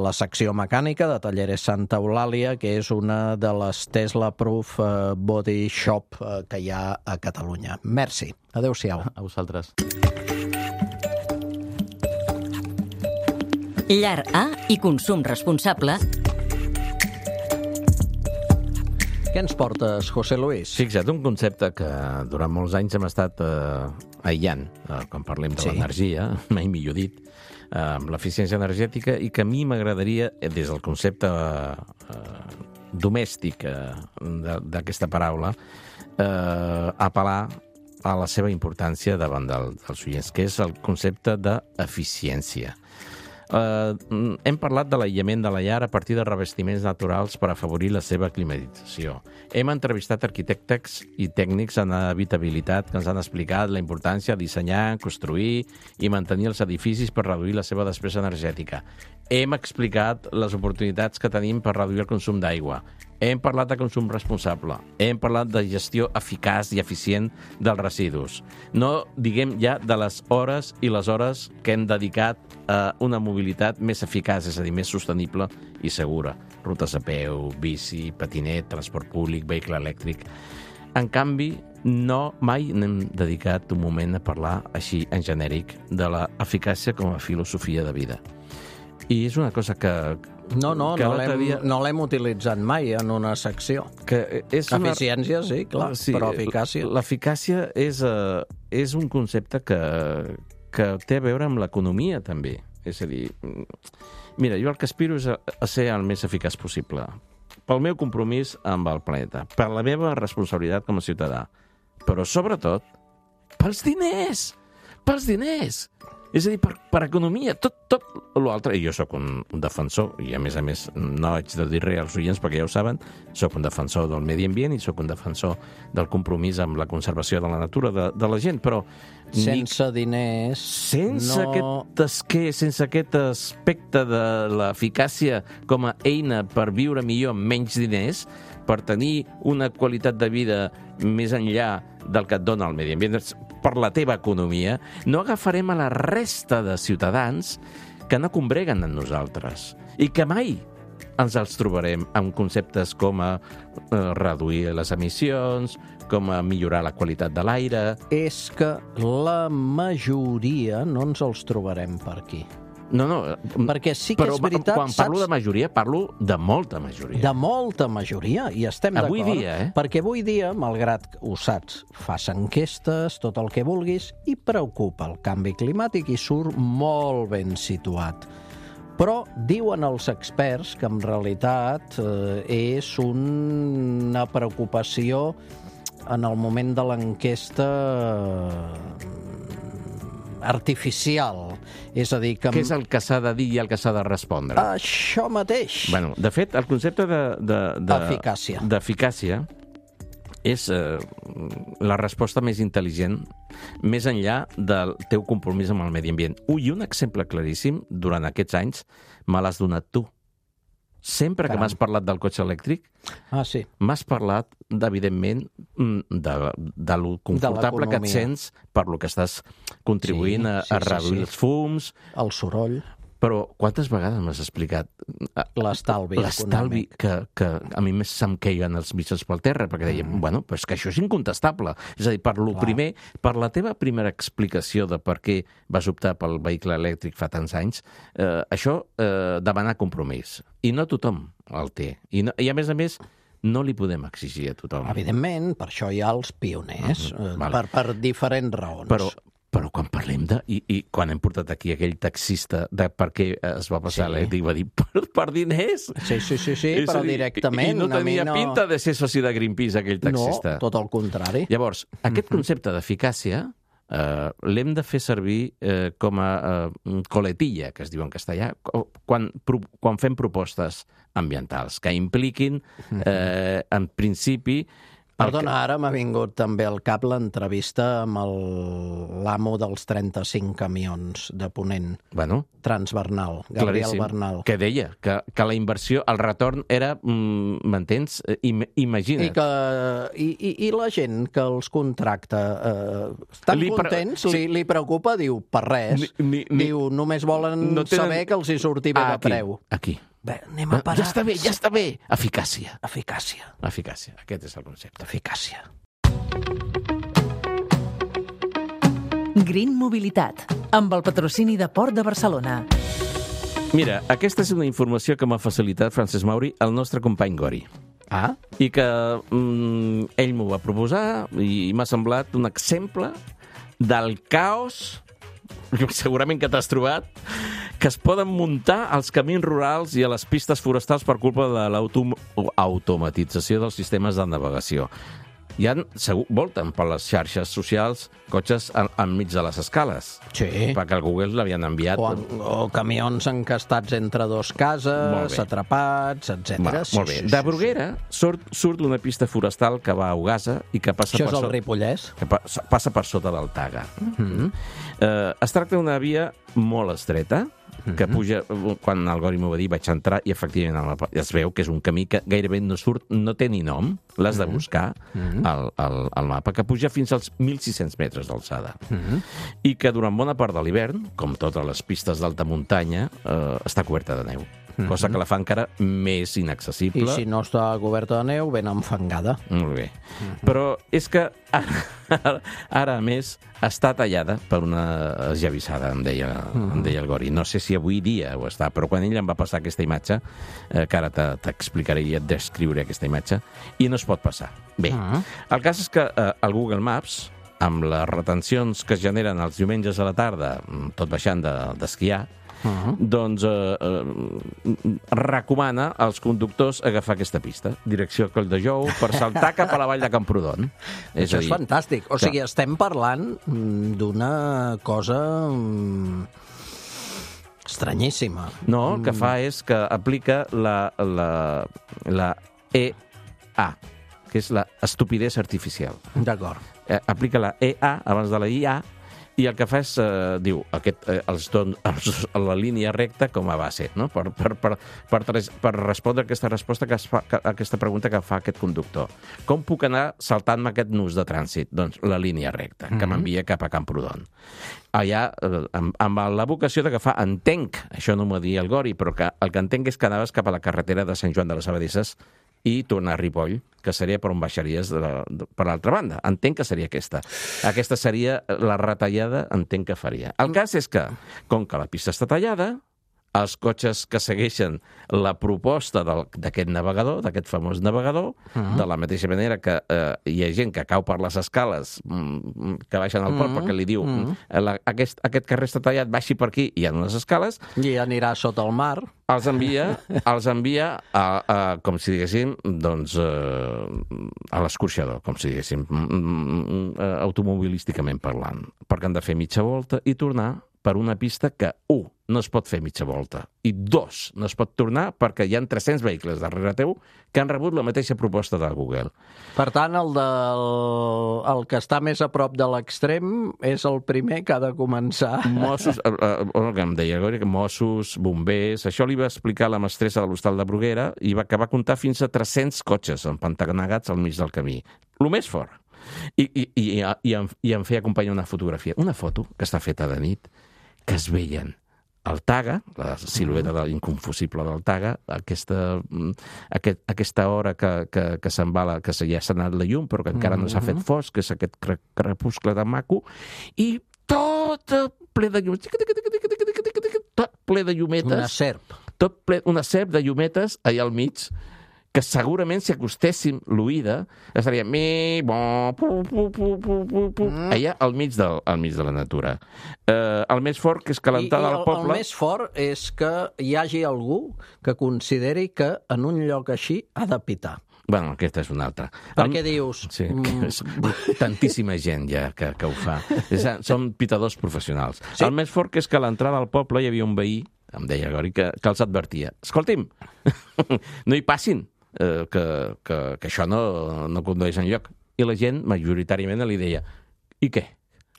la secció mecànica de Talleres Santa Eulàlia, que és una de les Tesla Proof Body Shop que hi ha a Catalunya. Merci. Adéu-siau. A vosaltres. Llar A i consum responsable. Què ens portes, José Luis? Fixa't, un concepte que durant molts anys hem estat aïllant, quan parlem de l'energia, mai millor dit, amb l'eficiència energètica, i que a mi m'agradaria, des del concepte domèstic d'aquesta paraula, apel·lar a la seva importància davant dels oients, que és el concepte d'eficiència. Hem parlat de l'aïllament de la llar a partir de revestiments naturals per afavorir la seva climatització. Hem entrevistat arquitectes i tècnics en habitabilitat que ens han explicat la importància de dissenyar, construir i mantenir els edificis per reduir la seva despesa energètica. Hem explicat les oportunitats que tenim per reduir el consum d'aigua. Hem parlat de consum responsable. Hem parlat de gestió eficaç i eficient dels residus. No diguem ja de les hores i les hores que hem dedicat a una mobilitat més eficaç, és a dir, més sostenible i segura. Rutes a peu, bici, patinet, transport públic, vehicle elèctric. En canvi, mai n'hem dedicat un moment a parlar així en genèric de l'eficàcia com a filosofia de vida. I és una cosa que... No l'hem utilitzat mai en una secció. Eficiència, sí, clar, però eficàcia... L'eficàcia és un concepte que té a veure amb l'economia, també. És a dir, mira, jo el que aspiro és a ser el més eficaç possible. Pel meu compromís amb el planeta, per la meva responsabilitat com a ciutadà, però sobretot pels diners! Pels diners! És a dir, per economia, tot l'altre. I jo sóc un defensor, i a més, no haig de dir res als oients perquè ja ho saben, sóc un defensor del medi ambient i sóc un defensor del compromís amb la conservació de la natura de la gent, però... Sense diners... Sense aquest aspecte de l'eficàcia com a eina per viure millor amb menys diners, per tenir una qualitat de vida més enllà del que et dona el medi ambient, per la teva economia, no agafarem a la resta de ciutadans que no combreguen amb nosaltres i que mai ens els trobarem amb conceptes com a reduir les emissions, com a millorar la qualitat de l'aire... És que la majoria no ens els trobarem per aquí. No, perquè sí que és veritat... Però quan parlo de majoria, parlo de molta majoria. De molta majoria, i estem d'acord. Avui dia, Perquè avui dia, malgrat ho saps, fas enquestes, tot el que vulguis, i preocupa el canvi climàtic i surt molt ben situat. Però diuen els experts que en realitat és una preocupació en el moment de l'enquesta artificial. És a dir, que... Què és el que s'ha de dir i el que s'ha de respondre? Això mateix. Bueno, de fet, el concepte d'eficàcia és la resposta més intel·ligent més enllà del teu compromís amb el medi ambient. I un exemple claríssim, durant aquests anys, me l'has donat tu. Sempre que m'has parlat del cotxe elèctric, m'has parlat, evidentment, de lo confortable que et sents per lo que estàs contribuint a reduir els fums... El soroll. Però quantes vegades m'has explicat l'estalvi que a mi se'm queien els mitjans pel terra, perquè dèiem, bueno, però és que això és incontestable. És a dir, per la teva primera explicació de per què vas optar pel vehicle elèctric fa tants anys, això demana compromís. I no tothom el té. I a més, no li podem exigir a tothom. Evidentment, per això hi ha els pioners, per diferents raons. Però quan parlem I quan hem portat aquí aquell taxista de per què es va passar l'elèctric, va dir, per diners. Sí, però directament. I no tenia pinta de ser soci de Greenpeace, aquell taxista. No, tot el contrari. Llavors, aquest concepte d'eficàcia l'hem de fer servir com a coletilla, que es diu en castellà, quan fem propostes ambientals, que impliquin, en principi, Perdona, ara m'ha vingut també al cap l'entrevista amb l'amo dels 35 camions de Ponent, Transbernal, Gabriel Bernal. Que deia que la inversió, el retorn era, m'entens? Imagina't. I la gent que els contracta, estan contents? Li preocupa? Diu, per res. Diu, només volen saber que els hi surti bé de preu. Aquí. Bé, anem a parar. Ja està bé. Eficàcia. Aquest és el concepte. Eficàcia. Green Mobilitat, amb el patrocini de Port de Barcelona. Mira, aquesta és una informació que m'ha facilitat Francesc Mauri, el nostre company Gori. I que ell m'ho va proposar i m'ha semblat un exemple del caos, segurament que t'has trobat, que es poden muntar als camins rurals i a les pistes forestals per culpa de l'automatització dels sistemes de navegació. volten per les xarxes socials cotxes enmig de les escales. Sí. Perquè el Google l'havien enviat. O camions encastats entre dos cases, atrapats, etc. Molt bé. De Bruguera surt una pista forestal que va a Ogassa i que passa Això és el Ripollès? Que passa per sota del Taga. Es tracta d'una via molt estreta, que puja, quan el Gori m'ho va dir, vaig entrar i efectivament es veu que és un camí que gairebé no té ni nom, l'has de buscar al mapa, que puja fins als 1.600 metres d'alçada. I que durant bona part de l'hivern, com totes les pistes d'alta muntanya, està coberta de neu. Cosa que la fa encara més inaccessible. I si no està coberta de neu, ben enfangada. Molt bé. Però és que ara, a més, està tallada per una esllavissada, em deia el Gori. No sé si avui dia ho està, però quan ell em va passar aquesta imatge, que ara t'explicaré i et descriuré aquesta imatge, i no es pot passar. Bé, el cas és que el Google Maps, amb les retencions que es generen els diumenges a la tarda, tot baixant d'esquiar, doncs recomana als conductors agafar aquesta pista, direcció a Colldejou, per saltar cap a la vall de Camprodon. Això és fantàstic. O sigui, estem parlant d'una cosa estranyíssima. No, el que fa és que aplica la EA, que és la estupidesa artificial. D'acord. Aplica la EA abans de la IA, i el que fa és, diu, la línia recta com a base, no? per respondre aquesta pregunta que fa aquest conductor. Com puc anar saltant-me aquest nus de trànsit? Doncs la línia recta, que m'envia cap a Camprodon. Allà, amb la vocació d'agafar, entenc, això no m'ho dir el Gori, però el que entenc és que anaves cap a la carretera de Sant Joan de les Abadesses i tornar a Ripoll, que seria per on baixaries per l'altra banda. Entenc que seria aquesta. Aquesta seria la retallada, entenc que faria. El cas és que, com que la pista està tallada, els cotxes que segueixen la proposta d'aquest navegador, d'aquest famós navegador, de la mateixa manera que hi ha gent que cau per les escales que baixen al port perquè li diu aquest carrer està tallat, baixi per aquí, hi ha unes escales. I anirà sota el mar. Els envia com si diguéssim, doncs, a l'escorxador, com si diguéssim, automobilísticament parlant, perquè han de fer mitja volta i tornar per una pista que, 1, no es pot fer mitja volta, i 2, no es pot tornar perquè hi ha 300 vehicles darrere teu que han rebut la mateixa proposta de Google. Per tant, el que està més a prop de l'extrem és el primer que ha de començar. Mossos, el que em deia, Mossos, bombers, això li va explicar la mestressa de l'hostal de Bruguera i que va comptar fins a 300 cotxes empantanegats al mig del camí. El més fort. I em feia acompanyar una fotografia, una foto que està feta de nit, que es veien el Taga, la silueta inconfusible del Taga, aquesta hora que se'n va, que ja s'ha anat la llum, però que encara no s'ha fet fosc, que és aquest crepuscle de maco, i tot ple de llumetes. Tot ple de llumetes. Una serp. Una serp de llumetes allà al mig, que segurament si acostéssim l'oïda estaria allà al mig de la natura. El més fort que és calentar del poble... El més fort és que hi hagi algú que consideri que en un lloc així ha de pitar. Bueno, aquesta és una altra. Perquè dius... Sí, tantíssima gent ja que ho fa. Són pitadors professionals. Sí? El més fort que és que a l'entrada al poble hi havia un veí, em deia Gori, que els advertia. Escolti'm, no hi passin, que això no condueix enlloc. I la gent, majoritàriament, li deia, i què?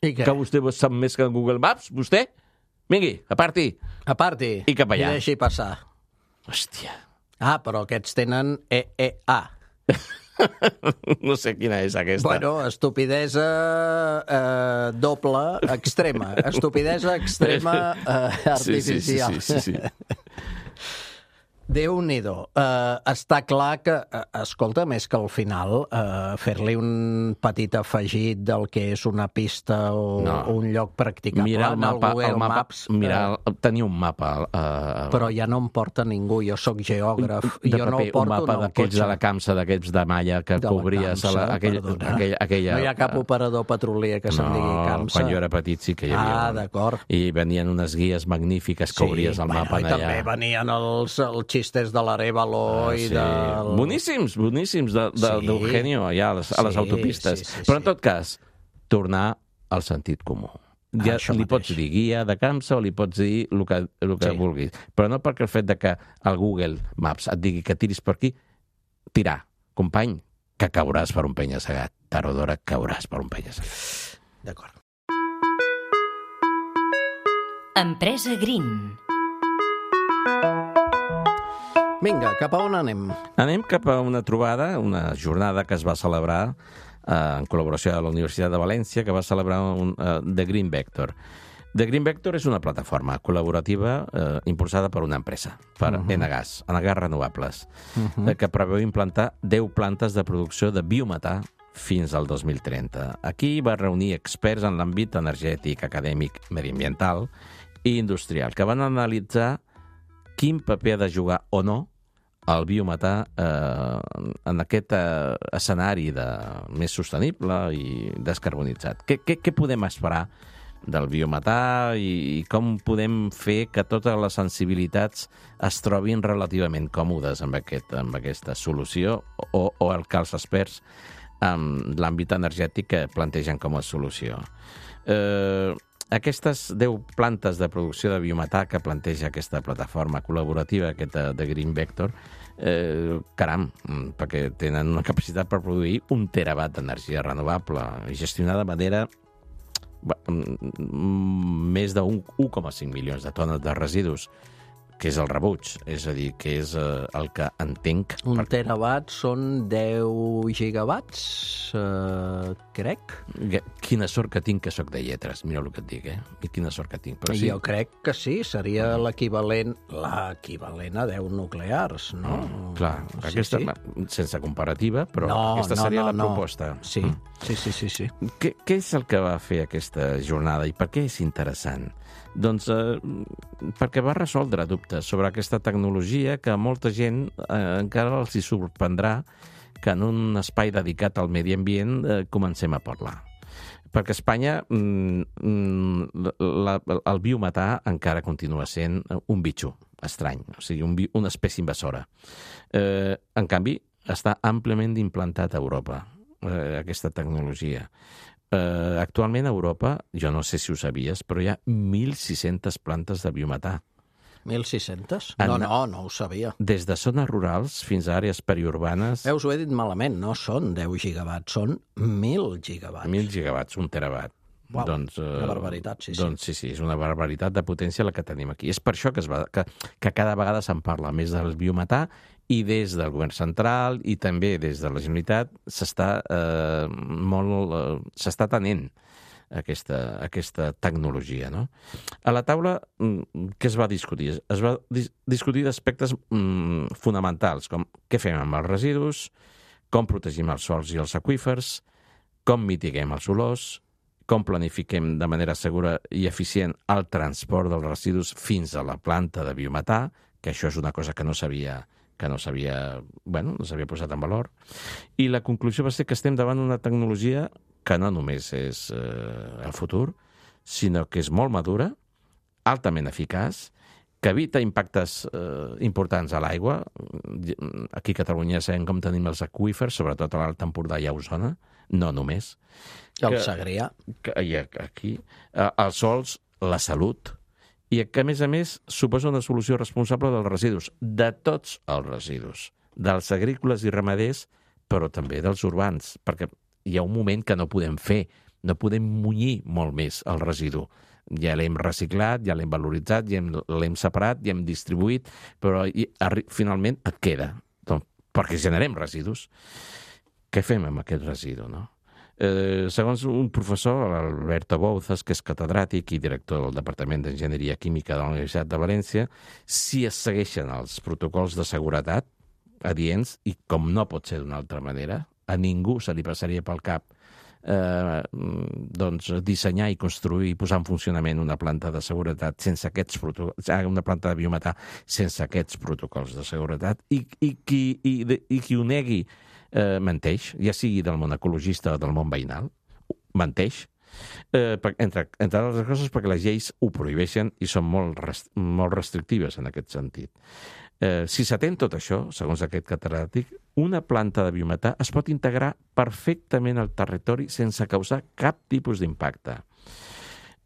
Que vostè sap més que Google Maps, vostè? Vingui, aparti. I cap allà. I deixi passar. Hòstia. Ah, però aquests tenen EEA. No sé quina és aquesta. Bueno, estupidesa doble extrema. Estupidesa extrema artificial. Sí. Déu-n'hi-do. Està clar que, escolta, més que al final fer-li un petit afegit del que és una pista o un lloc practicable. Mira el mapa, Maps. Tenia un mapa. Però ja no em porta ningú, jo sóc geògraf. Jo no el porto un mapa d'aquells de la Camsa, d'aquells de malla que cobries aquella... No hi ha cap operador petrolier que se'n digui Camsa. Quan jo era petit sí que hi havia. Ah, d'acord. I venien unes guies magnífiques que obries el mapa allà. I també venien els xistes de l'Arévalo i del... Boníssims, d'Eugenio, allà a les autopistes. Però en tot cas, tornar al sentit comú. Ja li pots dir guia de Camsa o li pots dir el que vulguis. Però no perquè el fet de que el Google Maps et digui que tiris per aquí, tirar, company, que cauràs per un penya-segat. Tard o d'hora cauràs per un penya-segat. D'acord. Empresa Green. Vinga, cap a on anem? Anem cap a una trobada, una jornada que es va celebrar en col·laboració amb la Universitat de València, que va celebrar The Green Vector. The Green Vector és una plataforma col·laborativa impulsada per una empresa, per Enagás Renovables, que preveu implantar 10 plantes de producció de biometà fins al 2030. Aquí va reunir experts en l'àmbit energètic, acadèmic, mediambiental i industrial, que van analitzar quin paper ha de jugar o no el biometà en aquest escenari més sostenible i descarbonitzat. Què podem esperar del biometà i com podem fer que totes les sensibilitats es trobin relativament còmodes amb aquesta solució o el que els experts en l'àmbit energètic plantegen com a solució. Aquestes 10 plantes de producció de biometà que planteja aquesta plataforma col·laborativa, aquesta de Green Vector, caram, perquè tenen una capacitat per produir 1 terawatt d'energia renovable i gestionar de manera més de 1,5 milions de tones de residus, que és el rebuig, és a dir, que és el que entenc... 1 terawatt són 10 gigawatts, crec. Quina sort que tinc que sóc de lletres, mira el que et dic, I quina sort que tinc. Però sí. Jo crec que sí, seria l'equivalent a 10 nuclears, no? Clar, aquesta, sense comparativa, però aquesta seria la proposta. Sí. Què és el que va fer aquesta jornada i per què és interessant? Doncs perquè va resoldre dubtes sobre aquesta tecnologia que a molta gent encara els hi sorprendrà que en un espai dedicat al medi ambient comencem a parlar. Perquè a Espanya el biometà encara continua sent un bitxo estrany, o sigui, una espècie invasora. En canvi, està àmpliament implantat a Europa, aquesta tecnologia. Actualment a Europa, jo no sé si ho sabies, però hi ha 1.600 plantes de biometà. 1.600? No ho sabia. Des de zones rurals fins a àrees periurbanes... Veus, ho he dit malament, no són 10 gigawatts, són 1.000 gigawatts. 1.000 gigawatts, 1 terawatt. Uau, una barbaritat, sí. Doncs sí, és una barbaritat de potència la que tenim aquí. És per això que cada vegada se'n parla més del biometà i des del govern central i també des de la Generalitat s'està atenent aquesta tecnologia, no? A la taula, què es va discutir? Es va discutir d'aspectes fonamentals, com què fem amb els residus, com protegim els sòls i els aqüífers, com mitiguem els olors, com planifiquem de manera segura i eficient el transport dels residus fins a la planta de biometà, que això és una cosa que no s'havia posat en valor. I la conclusió va ser que estem davant una tecnologia que no només és el futur, sinó que és molt madura, altament eficaç, que evita impactes importants a l'aigua. Aquí a Catalunya sabem com tenim els aqüífers, sobretot a l'Alt Empordà i a Osona, no només. El Segrià. Aquí, els sols, la salut, i que, a més, suposa una solució responsable dels residus, de tots els residus, dels agrícoles i ramaders, però també dels urbans, perquè hi ha un moment que no podem fer, no podem munyir molt més el residu. Ja l'hem reciclat, ja l'hem valoritzat, ja l'hem separat, ja hem distribuït, però finalment et queda, perquè generem residus. Què fem amb aquest residu, no? Segons un professor, Alberto Bouzas, que és catedràtic i director del Departament d'Enginyeria Química de la Universitat de València, si es segueixen els protocols de seguretat adients, i com no pot ser d'una altra manera, a ningú se li passaria pel cap dissenyar i construir i posar en funcionament una planta de seguretat una planta de biometà sense aquests protocols de seguretat, i qui ho negui menteix, ja sigui del món ecologista o del món veïnal, menteix, entre altres coses perquè les lleis ho prohibeixen i són molt restrictives en aquest sentit. Si s'atén tot això, segons aquest catedràtic, una planta de biometà es pot integrar perfectament al territori sense causar cap tipus d'impacte.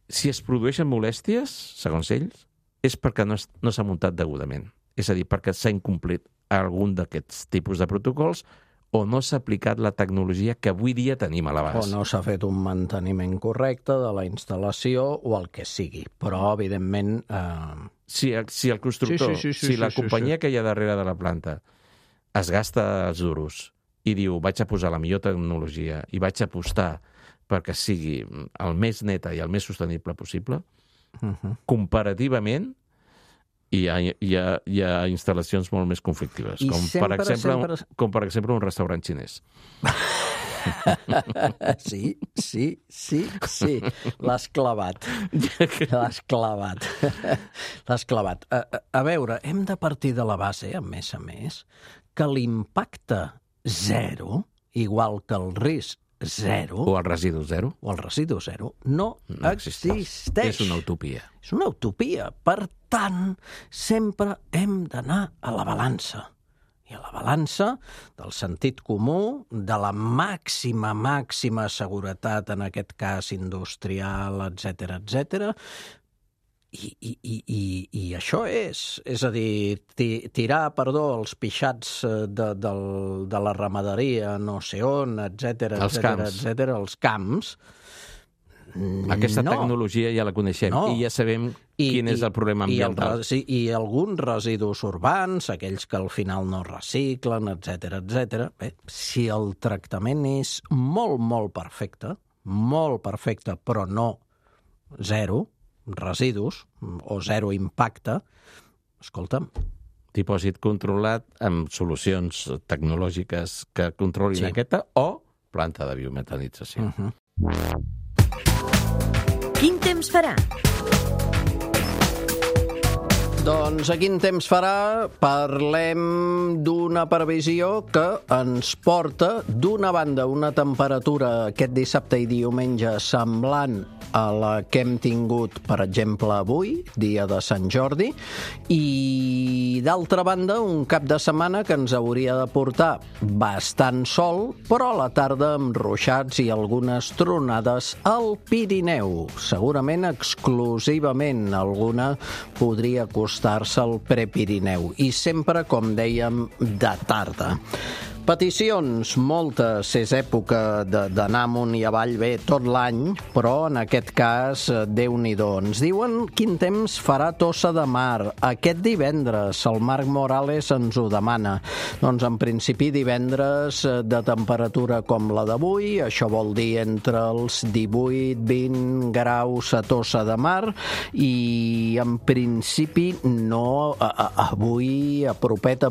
Si es produeixen molèsties, segons ells, és perquè no s'ha muntat degudament. És a dir, perquè s'ha incomplit algun d'aquests tipus de protocols o no s'ha aplicat la tecnologia que avui dia tenim a l'abast. O no s'ha fet un manteniment correcte de la instal·lació o el que sigui. Però, evidentment... Si el constructor, si la companyia que hi ha darrere de la planta es gasta els duros i diu vaig a posar la millor tecnologia i vaig a apostar perquè sigui el més neta i el més sostenible possible, comparativament hi ha instal·lacions molt més conflictives, com per exemple un restaurant xinès. Sí. L'has clavat. L'has clavat. A veure, hem de partir de la base, a més, que l'impacte zero, igual que el risc zero... O el residu zero. No existeix. És una utopia. És una utopia. Per tant, sempre hem d'anar a la balança. I a la balança del sentit comú, de la màxima seguretat, en aquest cas industrial, etc. I això és a dir, tirar, els pixats de la ramaderia, no sé on, etc. Els camps. Aquesta tecnologia ja la coneixem i ja sabem quin és el problema ambiental. I alguns residus urbans, aquells que al final no reciclen, etc. Bé, si el tractament és molt perfecte, però no zero residus o zero impacte, escolta'm. Dipòsit controlat amb solucions tecnològiques que controlin aquesta o planta de biometanització. Quin temps farà? Doncs a quin temps farà? Parlem d'una previsió que ens porta, d'una banda, una temperatura aquest dissabte i diumenge semblant a la que hem tingut, per exemple, avui, dia de Sant Jordi, i d'altra banda, un cap de setmana que ens hauria de portar bastant sol, però a la tarda amb ruixats i algunes tronades al Pirineu. Segurament exclusivament alguna podria acostar-se al Prepirineu. I sempre, com dèiem, de tarda. Peticions, moltes, és època d'anar amunt i avall bé tot l'any, però en aquest cas, Déu-n'hi-do. Ens diuen quin temps farà Tossa de Mar. Aquest divendres, el Marc Morales ens ho demana. Doncs en principi divendres de temperatura com la d'avui, això vol dir entre els 18-20 graus a Tossa de Mar, i en principi no, avui a propet,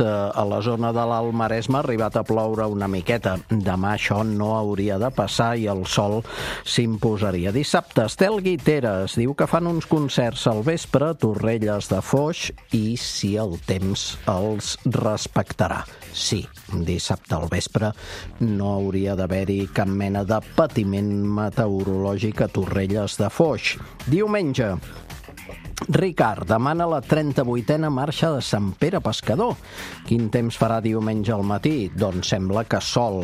a la zona de l'Alt Maresme ha arribat a ploure una miqueta. Demà això no hauria de passar i el sol s'imposaria. Dissabte, Estel Guiteres diu que fan uns concerts al vespre a Torrelles de Foix i si el temps els respectarà. Sí, dissabte al vespre no hauria d'haver-hi cap mena de patiment meteorològic a Torrelles de Foix. Diumenge, Ricard demana la 38a marxa de Sant Pere Pescador. Quin temps farà diumenge al matí? Doncs sembla que sol.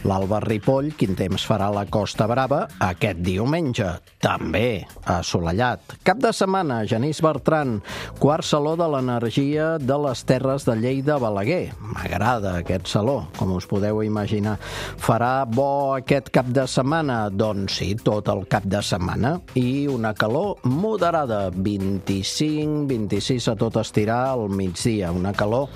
L'Alba Ripoll, quin temps farà a la Costa Brava aquest diumenge? També assolellat. Cap de setmana, Genís Bertran, quart saló de l'energia de les Terres de Lleida Balaguer. M'agrada aquest saló, com us podeu imaginar. Farà bo aquest cap de setmana? Doncs sí, tot el cap de setmana. I una calor moderada, 25-26 a tot estirar al migdia. Una calor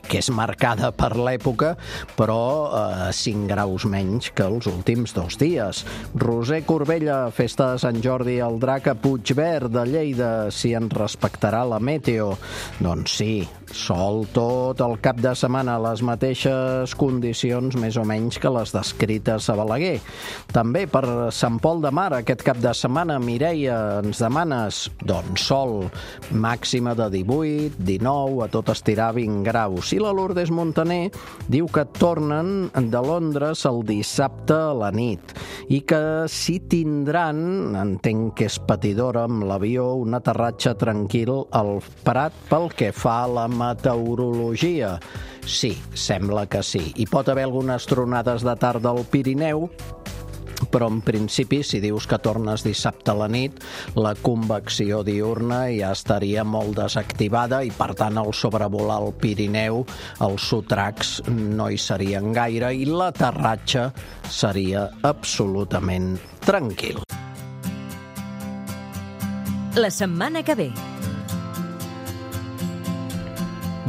que és marcada per l'època, però 5 graus menys que els últims 2 dies. Roser Corbella, festa de Sant Jordi al Drac a Puigverd de Lleida, si ens respectarà la meteo. Doncs sí, sol tot el cap de setmana, les mateixes condicions més o menys que les descrites a Balaguer. També per Sant Pol de Mar aquest cap de setmana, Mireia, ens demanes? Doncs sol, màxima de 18, 19, a tot estirar 20 graus. I la Lourdes Montaner diu que tornen de Londres el dissabte a la nit i que si tindran, entenc que és patidora amb l'avió, un aterratge tranquil al Prat pel que fa a la meteorologia. Sí, sembla que sí. Hi pot haver algunes tronades de tarda al Pirineu, però en principi, si dius que tornes dissabte a la nit, la convecció diurna ja estaria molt desactivada i, per tant, al sobrevolar el Pirineu, els sotracs no hi serien gaire i l'aterratge seria absolutament tranquil. La setmana que ve.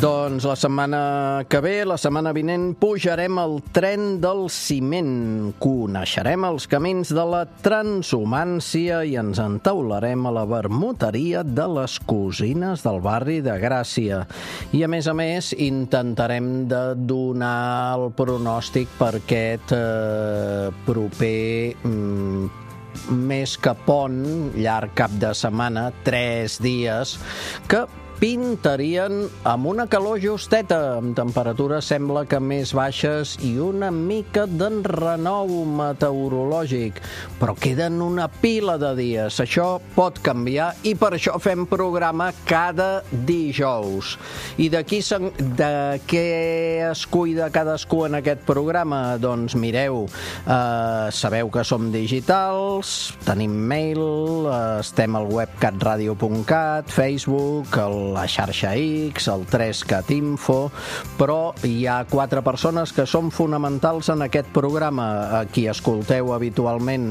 Doncs la setmana que ve, la setmana vinent, pujarem al tren del ciment, coneixerem els camins de la transhumància i ens entaularem a la vermuteria de les cosines del barri de Gràcia. I, a més, intentarem de donar el pronòstic per aquest proper més que pont, llarg cap de setmana, 3 dies, que pintarien amb una calor justeta, amb temperatures sembla que més baixes i una mica d'enrenou meteorològic, però queden una pila de dies. Això pot canviar i per això fem programa cada dijous. I de què es cuida cadascú en aquest programa? Doncs mireu, sabeu que som digitals, tenim mail, estem al web catradio.cat, Facebook, la xarxa X, el 3cat Info, però hi ha 4 persones que són fonamentals en aquest programa. A qui escolteu habitualment,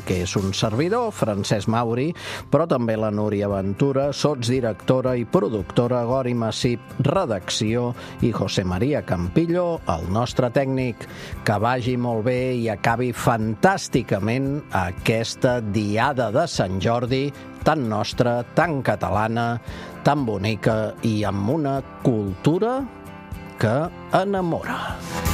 que és un servidor, Francesc Mauri, però també la Núria Ventura, sotsdirectora i productora, Gori Massip, redacció, i José María Campillo, el nostre tècnic. Que vagi molt bé i acabi fantàsticament aquesta diada de Sant Jordi, tan nostra, tan catalana, tan bonica i amb una cultura que enamora.